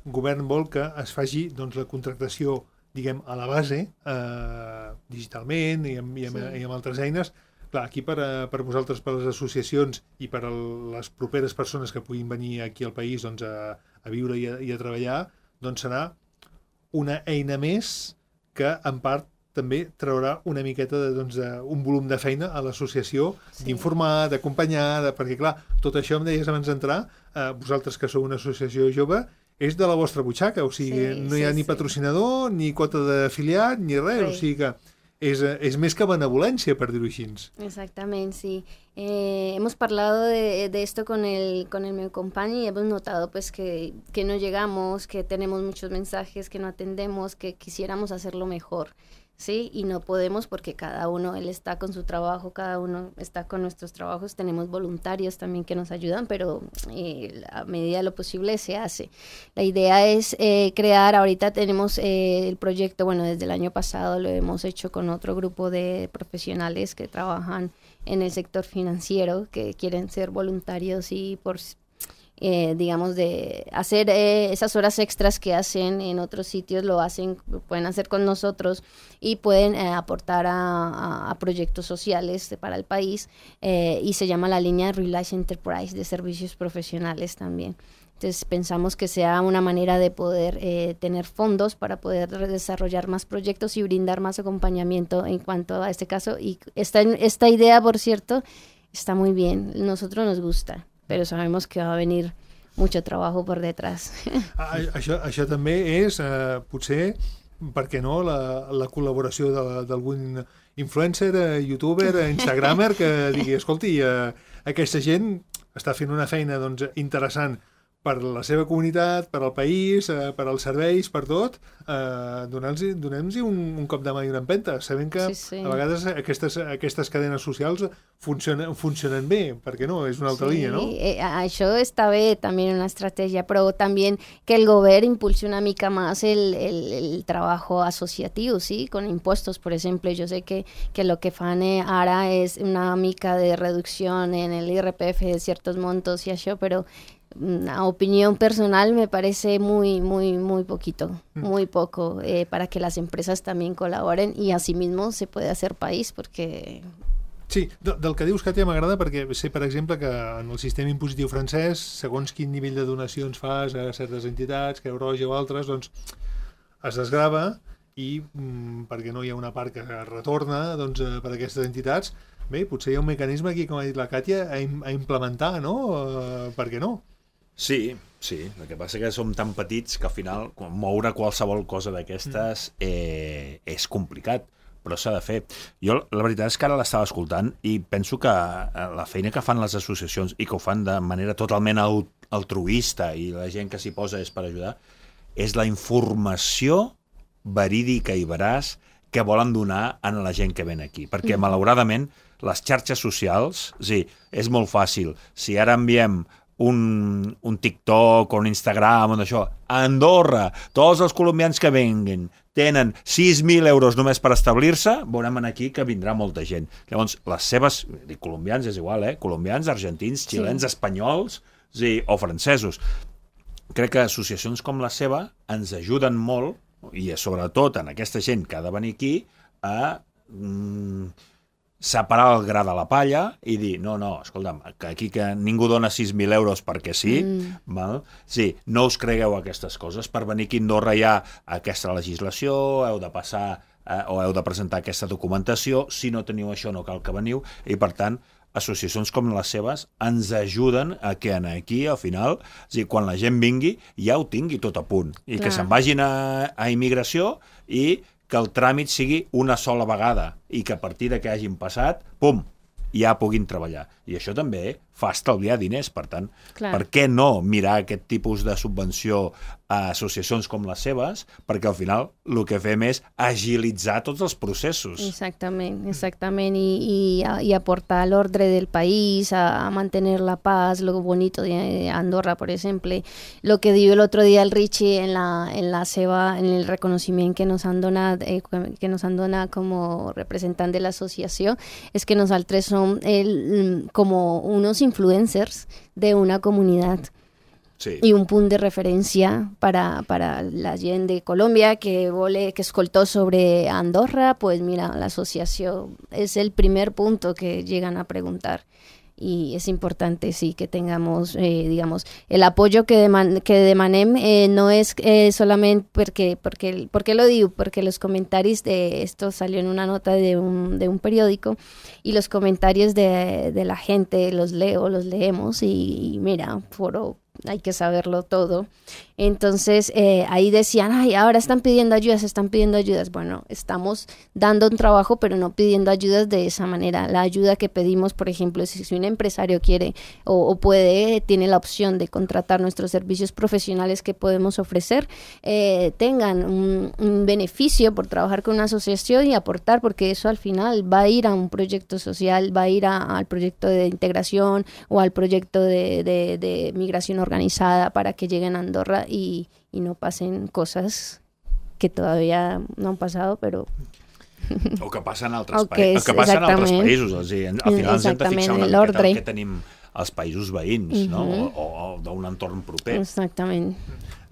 govern vol que es faci doncs, la contractació, diguem, a la base, uh, digitalment i amb, i, amb, sí. i amb altres eines. Clar, aquí per, a, per vosaltres, per les associacions i per a les properes persones que puguin venir aquí al país doncs, a, a viure i a, i a treballar, doncs serà una eina més que, en part, també traurà una miqueta de, doncs, de, un volum de feina a l'associació, sí. d'informar, d'acompanyar, de, perquè clar, tot això em deies abans d'entrar, eh, vosaltres que sou una associació jove, és de la vostra butxaca, o sigui, sí, no hi ha sí, ni patrocinador, sí. ni quota d'afiliat, ni res, sí. O sigui que és, és més que benevolència, per dir-ho així. Exactamente, sí. Eh, hemos parlado de, de esto con el, con el meu company y hemos notado pues que, que no llegamos, que tenemos muchos mensajes que no atendemos, que quisiéramos hacerlo mejor. Sí, y no podemos porque cada uno, él está con su trabajo, cada uno está con nuestros trabajos, tenemos voluntarios también que nos ayudan, pero eh, a medida de lo posible se hace. La idea es eh, crear, ahorita tenemos eh, el proyecto, bueno, desde el año pasado lo hemos hecho con otro grupo de profesionales que trabajan en el sector financiero, que quieren ser voluntarios y por... Eh, digamos, de hacer eh, esas horas extras que hacen en otros sitios, lo hacen, lo pueden hacer con nosotros y pueden eh, aportar a, a, a proyectos sociales de, para el país eh, y se llama la línea Realize Enterprise de servicios profesionales también. Entonces pensamos que sea una manera de poder eh, tener fondos para poder desarrollar más proyectos y brindar más acompañamiento en cuanto a este caso. Y esta, esta idea, por cierto, está muy bien, nosotros nos gusta, pero sabemos que va a venir mucho trabajo por detrás. Això, això també és, eh, potser, per què no, la, la col·laboració d'algun influencer, eh, youtuber, eh, instagramer, que digui, escolti, eh, aquesta gent està fent una feina doncs, interessant per la seva comunitat, per al país, eh, per als serveis, per tot, eh, donem-los un, un cop de mà i una empenta, sabent que sí, sí. a vegades aquestes, aquestes cadenes socials funcionen, funcionen bé, perquè no? És una altra sí, línia, no? Eh, això està bé, també una estratègia, però també que el govern impulse una mica más el, el, el trabajo asociativo, ¿sí? Con impuestos, por ejemplo. Yo sé que, que lo que fan ara es una mica de reducción en el I R P F de ciertos montos y això, pero a opinión personal me parece muy, muy, muy poquito, muy poco, eh, para que las empresas también colaboren y asimismo se puede hacer país, porque... Sí, del que dius, Katia, m'agrada perquè sé, per exemple, que en el sistema impositiu francès, segons quin nivell de donacions fas a certes entitats, Creu Roja o altres, doncs es desgrava i mm, perquè no hi ha una part que retorna doncs, per a aquestes entitats, bé, potser hi ha un mecanisme aquí, com ha dit la Katia, a, a implementar, no? Uh, per què no? Sí, sí. El que passa que som tan petits que al final moure qualsevol cosa d'aquestes mm. eh, és complicat, però s'ha de fer. Jo la veritat és que ara l'estava escoltant i penso que la feina que fan les associacions i que ho fan de manera totalment altruista i la gent que s'hi posa és per ajudar, és la informació verídica i veraç que volen donar a la gent que ven aquí. Perquè, mm. malauradament, les xarxes socials, sí, és molt fàcil. Si ara enviem un, un TikTok o un Instagram o això, a Andorra, tots els colombians que venguin tenen sis mil euros només per establir-se, veurem aquí que vindrà molta gent. Llavors, les seves, dic colombians és igual, eh? Colombians, argentins, xilens, sí. espanyols, sí, o francesos. Crec que associacions com la seva ens ajuden molt, i sobretot en aquesta gent que ha de venir aquí, a mm, separar el gra de la palla i dir, no, no, escolta'm, que aquí que ningú dona sis mil euros perquè sí, mm. val? Sí, no us cregueu aquestes coses, per venir aquí a Andorra hi ha aquesta legislació, heu de passar eh, o heu de presentar aquesta documentació, si no teniu això no cal que veniu, i per tant, associacions com les seves ens ajuden a que aquí, al final, o sigui, quan la gent vingui, ja ho tingui tot a punt, i Clar. que se'n vagin a, a immigració i que el tràmit sigui una sola vegada i que a partir de que hagin passat, pum, ja puguin treballar. I això també fa estalviar diners, per tant, Clar. per què no mirar aquest tipus de subvenció a associacions com les seves? Perquè al final el que fem és agilitzar tots els processos. Exactament, exactament, y, y, y aportar al orden del país, a, a mantener la paz, lo bonito de Andorra, por ejemplo. Lo que dio el otro día el Richie en la, en la seva, en el reconocimiento que nos han donado, eh, que nos han donado como representante de la asociación, es que nosaltres som el, como unos influencers de una comunidad. Sí. Y un punt de referència para, para la gent de Colòmbia que vole, que escoltó sobre Andorra, pues mira, la asociación es el primer punto que llegan a preguntar. Y es importante, sí, que tengamos, eh, digamos, el apoyo que, deman que demanem eh, no es eh, solamente porque, porque, ¿por qué lo digo? Porque los comentarios de esto salió en una nota de un, de un periódico y los comentarios de, de la gente los leo, los leemos y, y mira, foro, hay que saberlo todo. Entonces, eh, ahí decían, ay, ahora están pidiendo ayudas, están pidiendo ayudas. Bueno, estamos dando un trabajo, pero no pidiendo ayudas de esa manera. La ayuda que pedimos, por ejemplo, si, si un empresario quiere o, o puede, tiene la opción de contratar nuestros servicios profesionales que podemos ofrecer, eh, tengan un, un beneficio por trabajar con una asociación y aportar, porque eso al final va a ir a un proyecto social, va a ir a, al proyecto de integración o al proyecto de, de, de migración organizada para que lleguen a Andorra y, y no pasen cosas que todavía no han pasado, però... O que passen a altres, pa que passen a altres països. O sigui, al final ens hem de fixar una miqueta el que tenim als països veïns, uh-huh. no? o, o d'un entorn proper. Exactament.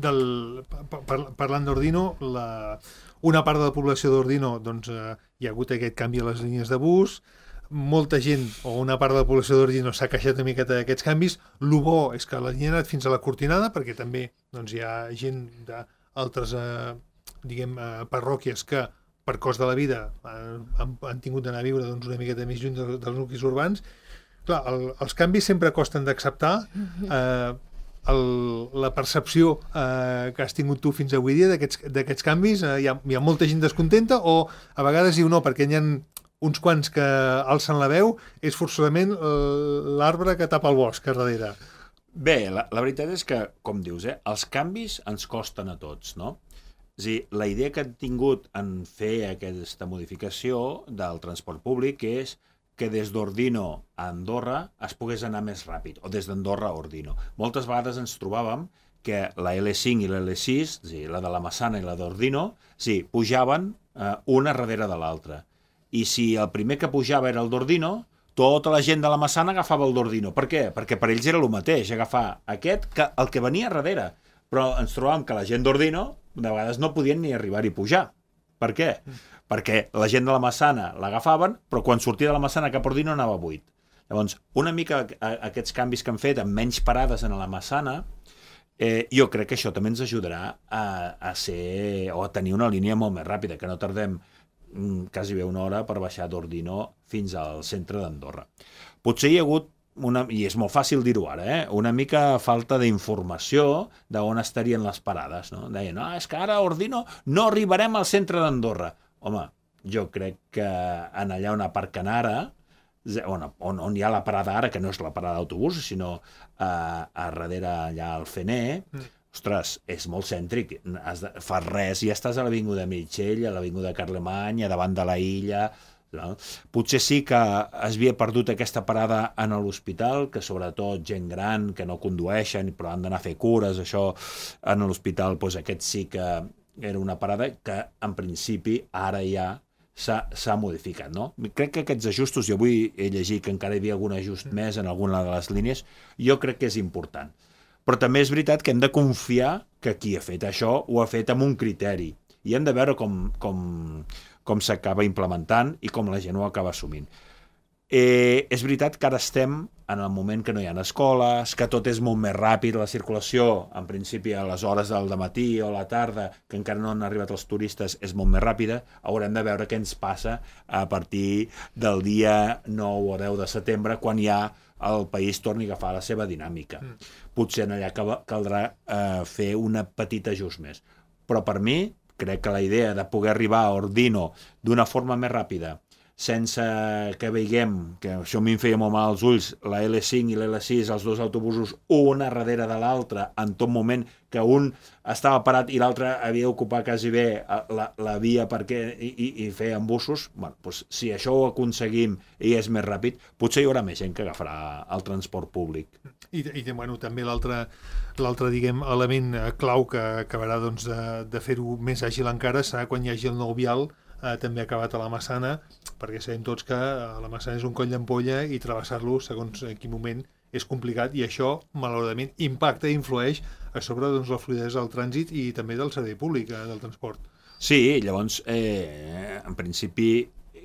Del, par, parlant d'Ordino, la, una part de la població d'Ordino doncs, eh, hi ha hagut aquest canvi a les línies de bus, molta gent, o una part de la població d'Ordino s'ha queixat una miqueta d'aquests canvis. El bo és que la línia ha anat fins a la Cortinada, perquè també doncs, hi ha gent d'altres eh, diguem, eh, parròquies que per cost de la vida han, han tingut d'anar a viure doncs, una miqueta més lluny dels, dels nuclis urbans. Clar, el, els canvis sempre costen d'acceptar, eh, el, la percepció eh, que has tingut tu fins avui dia d'aquests canvis? Eh, hi, ha, hi ha molta gent descontenta o a vegades diu no, perquè hi ha uns quants que alcen la veu, és forçosament l'arbre que tapa el bosc a darrere? Bé, la, la veritat és que, com dius, eh, els canvis ens costen a tots, no? És a dir, la idea que han tingut en fer aquesta modificació del transport públic és que des d'Ordino a Andorra es pogués anar més ràpid, o des d'Andorra a Ordino. Moltes vegades ens trobàvem que la ele cinc i l'ele sis, és a dir, la de la Massana i la d'Ordino, sí, pujaven eh, una darrere de l'altra. I si el primer que pujava era el d'Ordino, tota la gent de la Massana agafava el d'Ordino. Per què? Perquè per ells era el mateix, agafar aquest que el que venia darrere. Però ens trobàvem que la gent d'Ordino de vegades no podien ni arribar-hi a pujar. Per què? Perquè la gent de la Massana l'agafaven, però quan sortia de la Massana cap a Ordino anava buit. Llavors, una mica aquests canvis que han fet amb menys parades en la Massana, eh, jo crec que això també ens ajudarà a, a ser o a tenir una línia molt més ràpida, que no tardem mm, quasi bé una hora per baixar d'Ordino fins al centre d'Andorra. Potser hi ha hagut una, i és molt fàcil dir-ho ara, eh? una mica falta d'informació d'on estarien les parades. No? Deien, no, és que ara a Ordino no arribarem al centre d'Andorra. Home, jo crec que en allà on aparquen ara, on, on, on hi ha la parada ara, que no és la parada d'autobús, sinó a, a darrere allà al Fener, mm. ostres, és molt cèntric. Has de, fas res i ja estàs a l'Avinguda Mitchell, a l'Avinguda Carlemany, a davant de la illa. No? Potser sí que es havia perdut aquesta parada en l'hospital, que sobretot gent gran que no condueixen però han d'anar a fer cures, això en l'hospital, doncs aquest sí que era una parada que en principi ara ja s'ha modificat. No? Crec que aquests ajustos, jo avui he llegit que encara hi havia algun ajust més en alguna de les línies, jo crec que és important. Però també és veritat que hem de confiar que qui ha fet això ho ha fet amb un criteri i hem de veure com, com, com s'acaba implementant i com la gent ho acaba assumint. Eh, és veritat que ara estem en el moment que no hi ha escoles, que tot és molt més ràpid, la circulació, en principi a les hores del dematí o a la tarda, que encara no han arribat els turistes, és molt més ràpida. Haurem de veure què ens passa a partir del dia nou o deu de setembre, quan ja el país torni a agafar la seva dinàmica. Mm. Potser en allà caldrà eh, fer una petita ajust més. Però per mi, crec que la idea de poder arribar a Ordino d'una forma més ràpida, sense que veiguem, que això a mi em feia molt mal als ulls, la ele cinc i l'ele sis, els dos autobusos, una darrere de l'altra, en tot moment, que un estava parat i l'altre havia d'ocupar quasi bé la, la via perquè, i, i, i fer embussos. Bueno, doncs, si això ho aconseguim i és més ràpid, potser hi haurà més gent que agafarà el transport públic. I, i bueno, també l'altre l'altre diguem element clau que acabarà doncs, de, de fer-ho més àgil encara serà quan hi hagi el nou vial eh, també acabat a la Massana, perquè sabem tots que la Massana és un coll d'ampolla i travessar-lo segons en quin moment és complicat, i això malauradament impacta i influeix a sobre doncs, la fluïdesa del trànsit i també del servei públic eh, del transport. Sí, llavors eh, en principi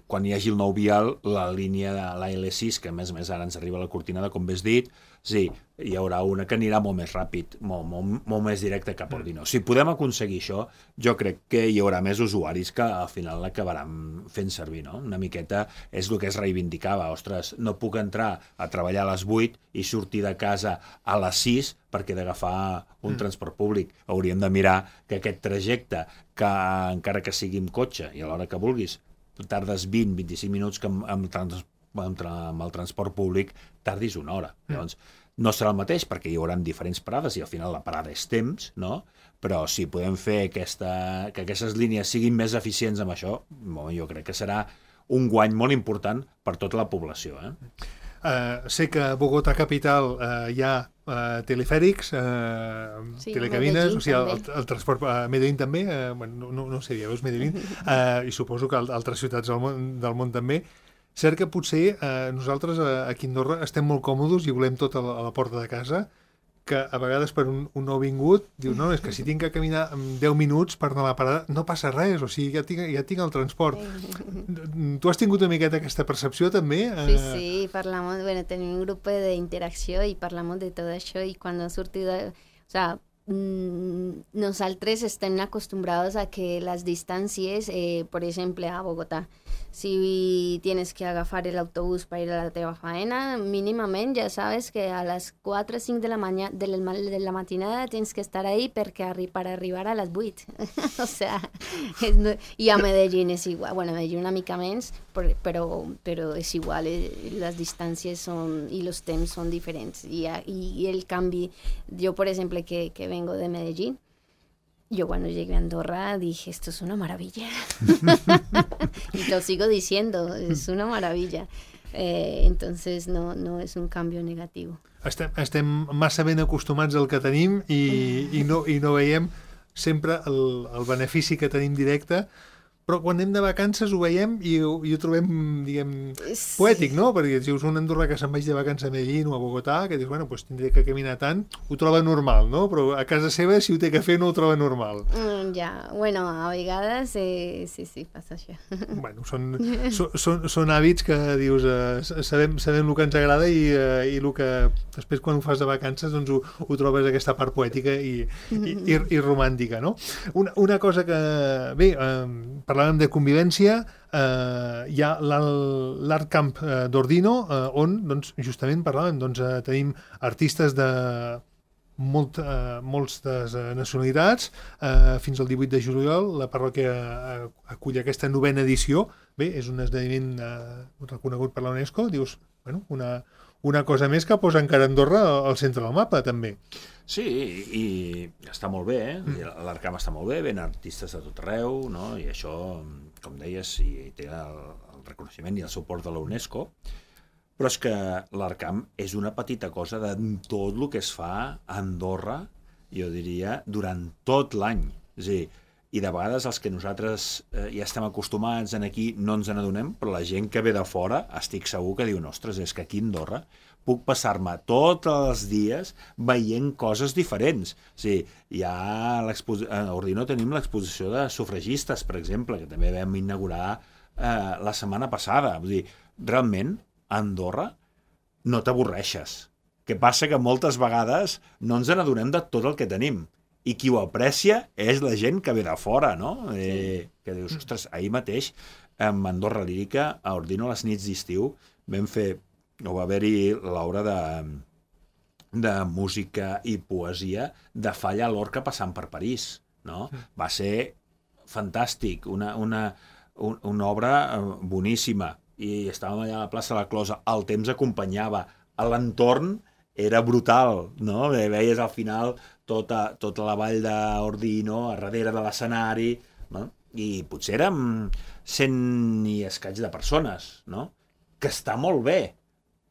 quan hi hagi el nou vial, la línia de la ele sis, que a més a més ara ens arriba a la Cortinada, com bé has dit, sí, hi haurà una que anirà molt més ràpid, molt, molt, molt més directe cap a Ordino. Si podem aconseguir això, jo crec que hi haurà més usuaris que al final l'acabaran fent servir, no? Una miqueta és el que es reivindicava. Ostres, no puc entrar a treballar a les vuit i sortir de casa a les sis perquè he d'agafar un mm. transport públic. Hauríem de mirar que aquest trajecte, que encara que sigui amb cotxe i a l'hora que vulguis, tardes vint a vint-i-cinc minuts, que amb, amb, trans, amb, amb el transport públic tardis una hora. Mm. Llavors, no serà el mateix perquè hi haurà diferents parades i al final la parada és temps, no? Però si podem fer aquesta, que aquestes línies siguin més eficients amb això, bon, jo crec que serà un guany molt important per tota la població. Eh? Uh, sé que a Bogotà capital uh, hi ha uh, telefèrics, uh, sí, telecabines, o sigui, el, el transport a uh, Medellín també, uh, bueno, no, no sé, ja veus Medellín, uh, i suposo que altres ciutats del món, del món també. Cert que potser uh, nosaltres uh, aquí a Andorra estem molt còmodes i volem tot a la, a la porta de casa, que a vegades per un, un nouvingut diu, no, és que si tinc que caminar deu minuts per anar a la parada, no passa res, o sigui, ja tinc, ja tinc el transport. Tu has tingut una miqueta aquesta percepció també? Sí, sí, parlamos, bueno, tenim un grup d'interacció i parlamos de tot això, i quan ha sortit, o sea, nosaltres estem acostumbrados a que las distancias, eh, por ejemplo, a Bogotá, si tienes que agafar el autobús para ir a la teva faena, mínimament ja sabes que a les quatre o cinc de la, maña, de la, de la matinada tens que estar ahí perquè arri, per arribar a les vuit. O sea, és, no, i a Medellín és igual. Bueno, a Medellín una mica menys, però, però és igual. Eh, les distàncies són, i els temps són diferents. I, i el canvi, jo, per exemple, que, que vengo de Medellín, yo cuando llegué a Andorra dije, esto es una maravilla. Y lo sigo diciendo, es una maravilla. Eh, entonces no, no es un cambio negativo. Estem, estem massa ben acostumats al que tenim i, i, no, i no veiem sempre el, el benefici que tenim directe, però quan anem de vacances ho veiem i ho, i ho trobem, diguem, sí. poètic, no? Perquè si us un andorrà que se'n vaig de vacances a Medellín o a Bogotà, que dius, bueno, pues tindré que caminar tant, ho troba normal, no? Però a casa seva, si ho té que fer, no ho troba normal. Mm, ja, bueno, a vegades eh, sí, sí, passa això. Bueno, són, so, són, són hàbits que dius, eh, sabem, sabem el que ens agrada i, eh, i el que després quan ho fas de vacances doncs ho, ho trobes aquesta part poètica i, i, i, i romàntica, no? Una, una cosa que, bé, eh, parlàvem de convivència, eh, hi ha l'Art Camp eh, d'Ordino, eh, on doncs, justament parlàvem, doncs, eh, tenim artistes de molt, eh, moltes eh, nacionalitats, eh, fins al divuit de juliol la parròquia eh, acull aquesta novena edició. Bé, és un esdeveniment eh, reconegut per la UNESCO, dius, bueno, una, una cosa més que posa encara Andorra al centre del mapa, també. Sí, i està molt bé, eh? Mm. L'Art Camp està molt bé, ven artistes de tot arreu, no? I això, com deies, i té el, el reconeixement i el suport de la UNESCO, però és que l'Art Camp és una petita cosa de tot el que es fa a Andorra, jo diria, durant tot l'any. És a dir, i de vegades els que nosaltres eh, ja estem acostumats en aquí no ens n'adonem, però la gent que ve de fora estic segur que diu, ostres, és que aquí a Andorra puc passar-me tots els dies veient coses diferents. O sigui, hi ha a Ordino tenim l'exposició de sufragistes, per exemple, que també vam inaugurar eh, la setmana passada. Vull dir, realment, a Andorra no t'avorreixes. Que passa que moltes vegades no ens n'adonem de tot el que tenim. I qui ho aprecia és la gent que ve de fora, no? Eh, que dius, ostres, ahir mateix, amb Andorra Lírica, a Ordino, a les nits d'estiu, vam fer, o va haver-hi l'obra de, de música i poesia de Falla Lorca passant per París, no? Va ser fantàstic, una, una, un, una obra boníssima, i estàvem allà a la plaça de la Closa, el temps acompanyava, l'entorn era brutal, no? Veies al final tota, tota la vall d'Ordino, a darrere de l'escenari, no? I potser érem cent i escaig de persones, no? Que està molt bé,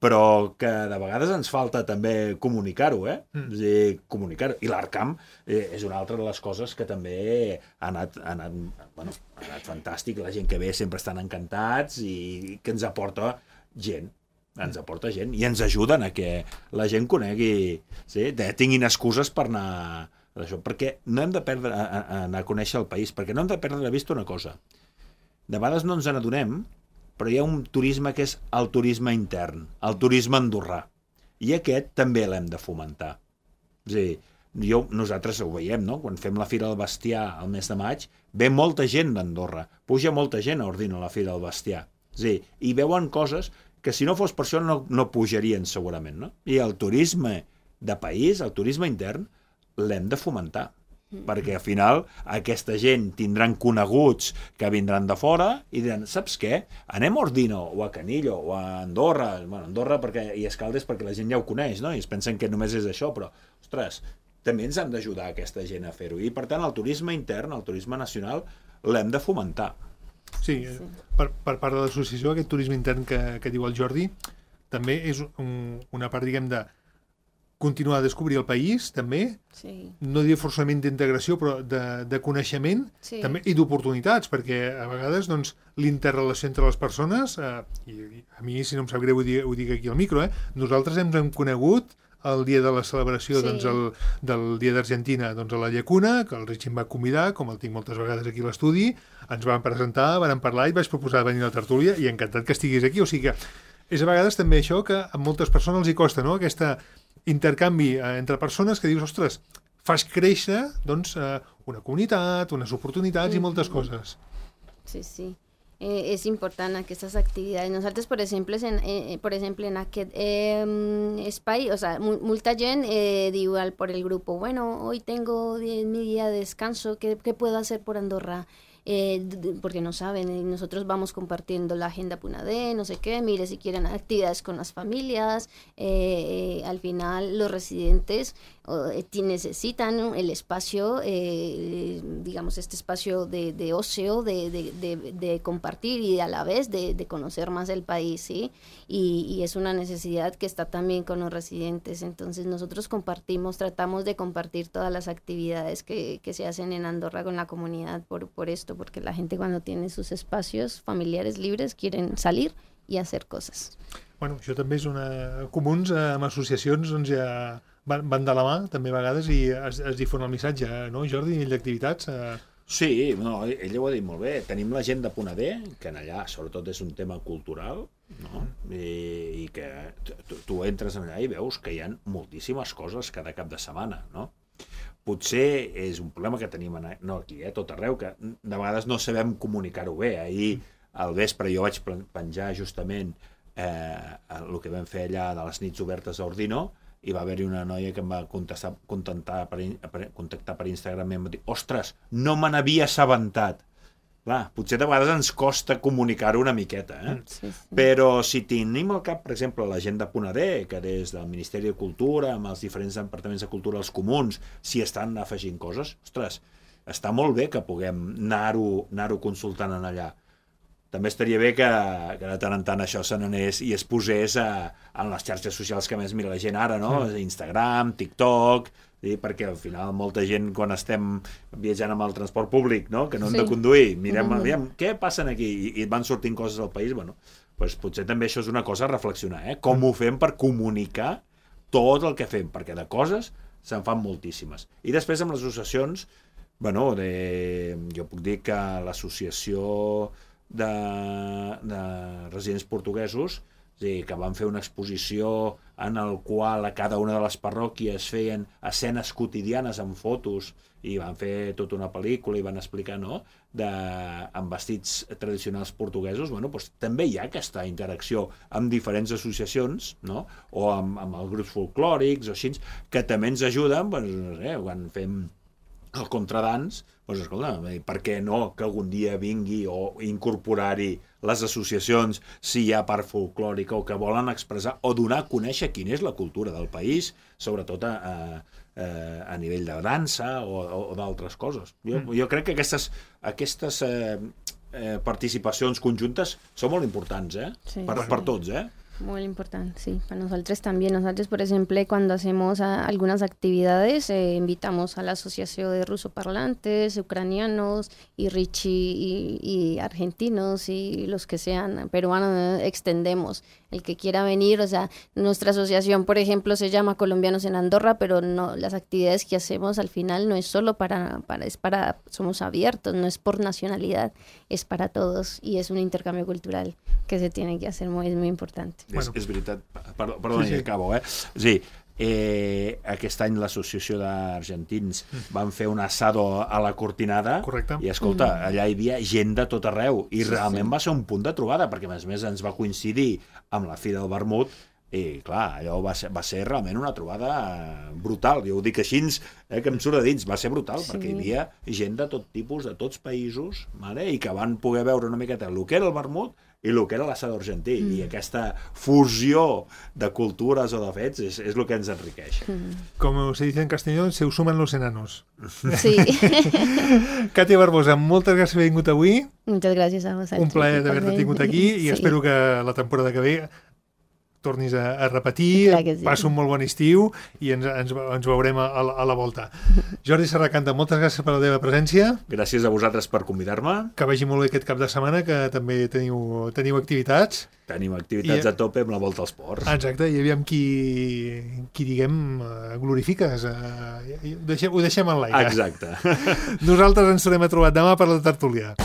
però que de vegades ens falta també comunicar-ho, eh? Mm. És a dir, comunicar-ho. I l'Art Camp eh, és una altra de les coses que també ha anat, ha anat, bueno, ha anat fantàstic. La gent que ve sempre estan encantats i que ens aporta gent. Ens aporta gent i ens ajuden a que la gent conegui, sí? De, tinguin excuses per anar d'això, perquè no hem de perdre a, a, anar a conèixer el país, perquè no hem de perdre de vista una cosa. De vegades no ens n'adonem, però hi ha un turisme que és el turisme intern, el turisme andorrà, i aquest també l'hem de fomentar. És a dir, jo, nosaltres ho veiem, no? Quan fem la Fira del Bestiar al mes de maig, ve molta gent d'Andorra, puja molta gent a Ordino a la Fira del Bestiar. És a dir, i veuen coses que si no fos per això no, no pujarien segurament, no? I el turisme de país, el turisme intern, l'hem de fomentar, mm. perquè al final aquesta gent tindran coneguts que vindran de fora i diran, saps què? Anem a Ordino o a Canillo o a Andorra, bueno, Andorra perquè, i Escaldes perquè la gent ja ho coneix, no? I es pensen que només és això, però, ostres, també ens han d'ajudar aquesta gent a fer-ho. I per tant el turisme intern, el turisme nacional, l'hem de fomentar. Sí, sí. Per, per part de l'associació, aquest turisme intern que, que diu el Jordi, també és un, una part, diguem, de continuar a descobrir el país, també, sí. No dir forçament d'integració, però de, de coneixement, sí. També, i d'oportunitats, perquè a vegades doncs, l'interrelació entre les persones, eh, i, i a mi, si no em sap greu, ho dic, ho dic aquí al micro, eh, nosaltres ens hem conegut el dia de la celebració, sí. Doncs, el, del Dia d'Argentina, doncs, a la Llacuna, que el Rich em va convidar, com el tinc moltes vegades aquí a l'estudi, ens van presentar, van parlar i vaig proposar venir a la tertúlia, i encantat que estiguis aquí. O sigui que és a vegades també això que a moltes persones els hi costa, no? Aquesta intercanvi eh, entre persones que dius, ostres, fas créixer doncs, eh, una comunitat, unes oportunitats mm-hmm. i moltes coses. Sí, sí. Eh, és important aquestes activitats. Nosaltres, per exemple, en, eh, per exemple, en aquest eh, espai, o sea, mu molta gent eh, diu al, por el grupo, bueno, hoy tengo mi día de descanso, ¿qué, qué puedo hacer por Andorra? Eh, porque no saben, y nosotros vamos compartiendo la agenda Punadé, no sé qué, mire, si quieren actividades con las familias, eh, eh, al final los residentes eh, necesitan el espacio, eh, digamos, este espacio de, de ocio, de, de, de, de compartir y a la vez de, de conocer más el país, ¿sí? Y, y es una necesidad que está también con los residentes, entonces nosotros compartimos, tratamos de compartir todas las actividades que, que se hacen en Andorra con la comunidad por, por esto, porque la gente cuando tiene sus espacios familiares libres quieren salir i hacer coses. Bueno, això també és una... Comuns amb associacions doncs ja van, van de la mà, també a vegades, i es, es difon el missatge, no, Jordi, a nivell d'activitats? Eh... Sí, no, ell ho ha dit molt bé. Tenim la gent de Punadé, que en allà sobretot és un tema cultural, no? I, i que tu, tu entres allà i veus que hi ha moltíssimes coses cada cap de setmana, no? Potser és un problema que tenim en, no aquí, eh, tot arreu, que de vegades no sabem comunicar-ho bé. Ahir al vespre jo vaig penjar justament eh, el que vam fer allà de les nits obertes a Ordino, i va haver-hi una noia que em va contestar, contactar, per, per, contactar per Instagram i em va dir, ostres, no me n'havia assabentat. Clar, potser de vegades ens costa comunicar-ho una miqueta, eh? Sí, sí. Però si tenim al cap, per exemple, la gent de Punadé, que des del Ministeri de Cultura, amb els diferents departaments de cultura als comuns, si estan afegint coses, ostres, està molt bé que puguem anar-ho anar-ho consultant en allà. També estaria bé que, que de tant en tant això se n'anés i es posés a, en les xarxes socials que més mira la gent ara, no? Mm. Instagram, TikTok... Sí, perquè al final molta gent quan estem viatjant amb el transport públic, no? Que no hem sí. de conduir, mirem, mm-hmm. mirem què passen aquí i, i van sortint coses al país, bueno, pues potser també això és una cosa a reflexionar, eh? Com mm. ho fem per comunicar tot el que fem, perquè de coses se'n fan moltíssimes. I després amb les associacions, bueno, de, jo puc dir que l'associació de, de residents portuguesos, sí, que van fer una exposició en el qual a cada una de les parròquies feien escenes quotidianes amb fotos i van fer tota una pel·lícula i van explicar, no?, de, amb vestits tradicionals portuguesos. Bueno, doncs també hi ha aquesta interacció amb diferents associacions, no?, o amb, amb els grups folclòrics o així, que també ens ajuden, doncs, no sé, quan fem el contradans, doncs escolta, per què no que algun dia vingui o incorporar-hi les associacions si hi ha part folclòrica o que volen expressar o donar a conèixer quina és la cultura del país, sobretot a, a, a nivell de dansa o, o d'altres coses. Jo, jo crec que aquestes, aquestes eh, eh, participacions conjuntes són molt importants, eh? Sí, per, sí. per tots, eh? Muy importante, sí, para nosotros también. Nosotros, por ejemplo, cuando hacemos a, algunas actividades, eh, invitamos a la Asociación de Rusoparlantes, Ucranianos, y Richie, y, y argentinos, y los que sean peruanos, extendemos. El que quiera venir, o sea, nuestra asociación, por ejemplo, se llama Colombianos en Andorra, pero no, las actividades que hacemos al final no es solo para, para, es para, somos abiertos, no es por nacionalidad, es para todos, y es un intercambio cultural que se tiene que hacer, muy, es muy importante. Bueno. És, és veritat, perdó, perdó sí, sí. acabo, eh? Sí, eh, aquest any l'associació d'argentins mm. van fer un assado a la Cortinada. Correcte. I escolta, mm. allà hi havia gent de tot arreu i sí, realment sí. va ser un punt de trobada, perquè a més a més ens va coincidir amb la Fira del Vermut i clar, allò va ser, va ser realment una trobada brutal, jo ho dic així, eh, que em surt de dins, va ser brutal, sí. perquè hi havia gent de tot tipus, de tots països, vale? I que van poder veure una miqueta el que era el vermut i el que era l'assado argentí, mm. i aquesta fusió de cultures o de fets és, és el que ens enriqueix. Mm. Com se dice en castellano, se suman los enanos. Sí. Katia Barbosa, moltes gràcies per haver vingut avui. Moltes gràcies a vosaltres. Un plaer d'haver-te tingut aquí i sí. espero que la temporada que ve tornis a, a repetir, sí. passa un molt bon estiu i ens, ens, ens veurem a, a la volta. Jordi Serracanta, moltes gràcies per la teva presència. Gràcies a vosaltres per convidar-me. Que vagi molt bé aquest cap de setmana, que també teniu, teniu activitats. Tenim activitats I, a tope amb la volta als ports. Exacte, i aviam qui, qui diguem, glorifiques. Ho deixem, ho deixem en l'aire. Exacte. Nosaltres ens tornem a trobar demà per la tertúlia.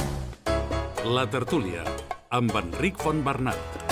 La tertúlia, amb Enric Fontbernat.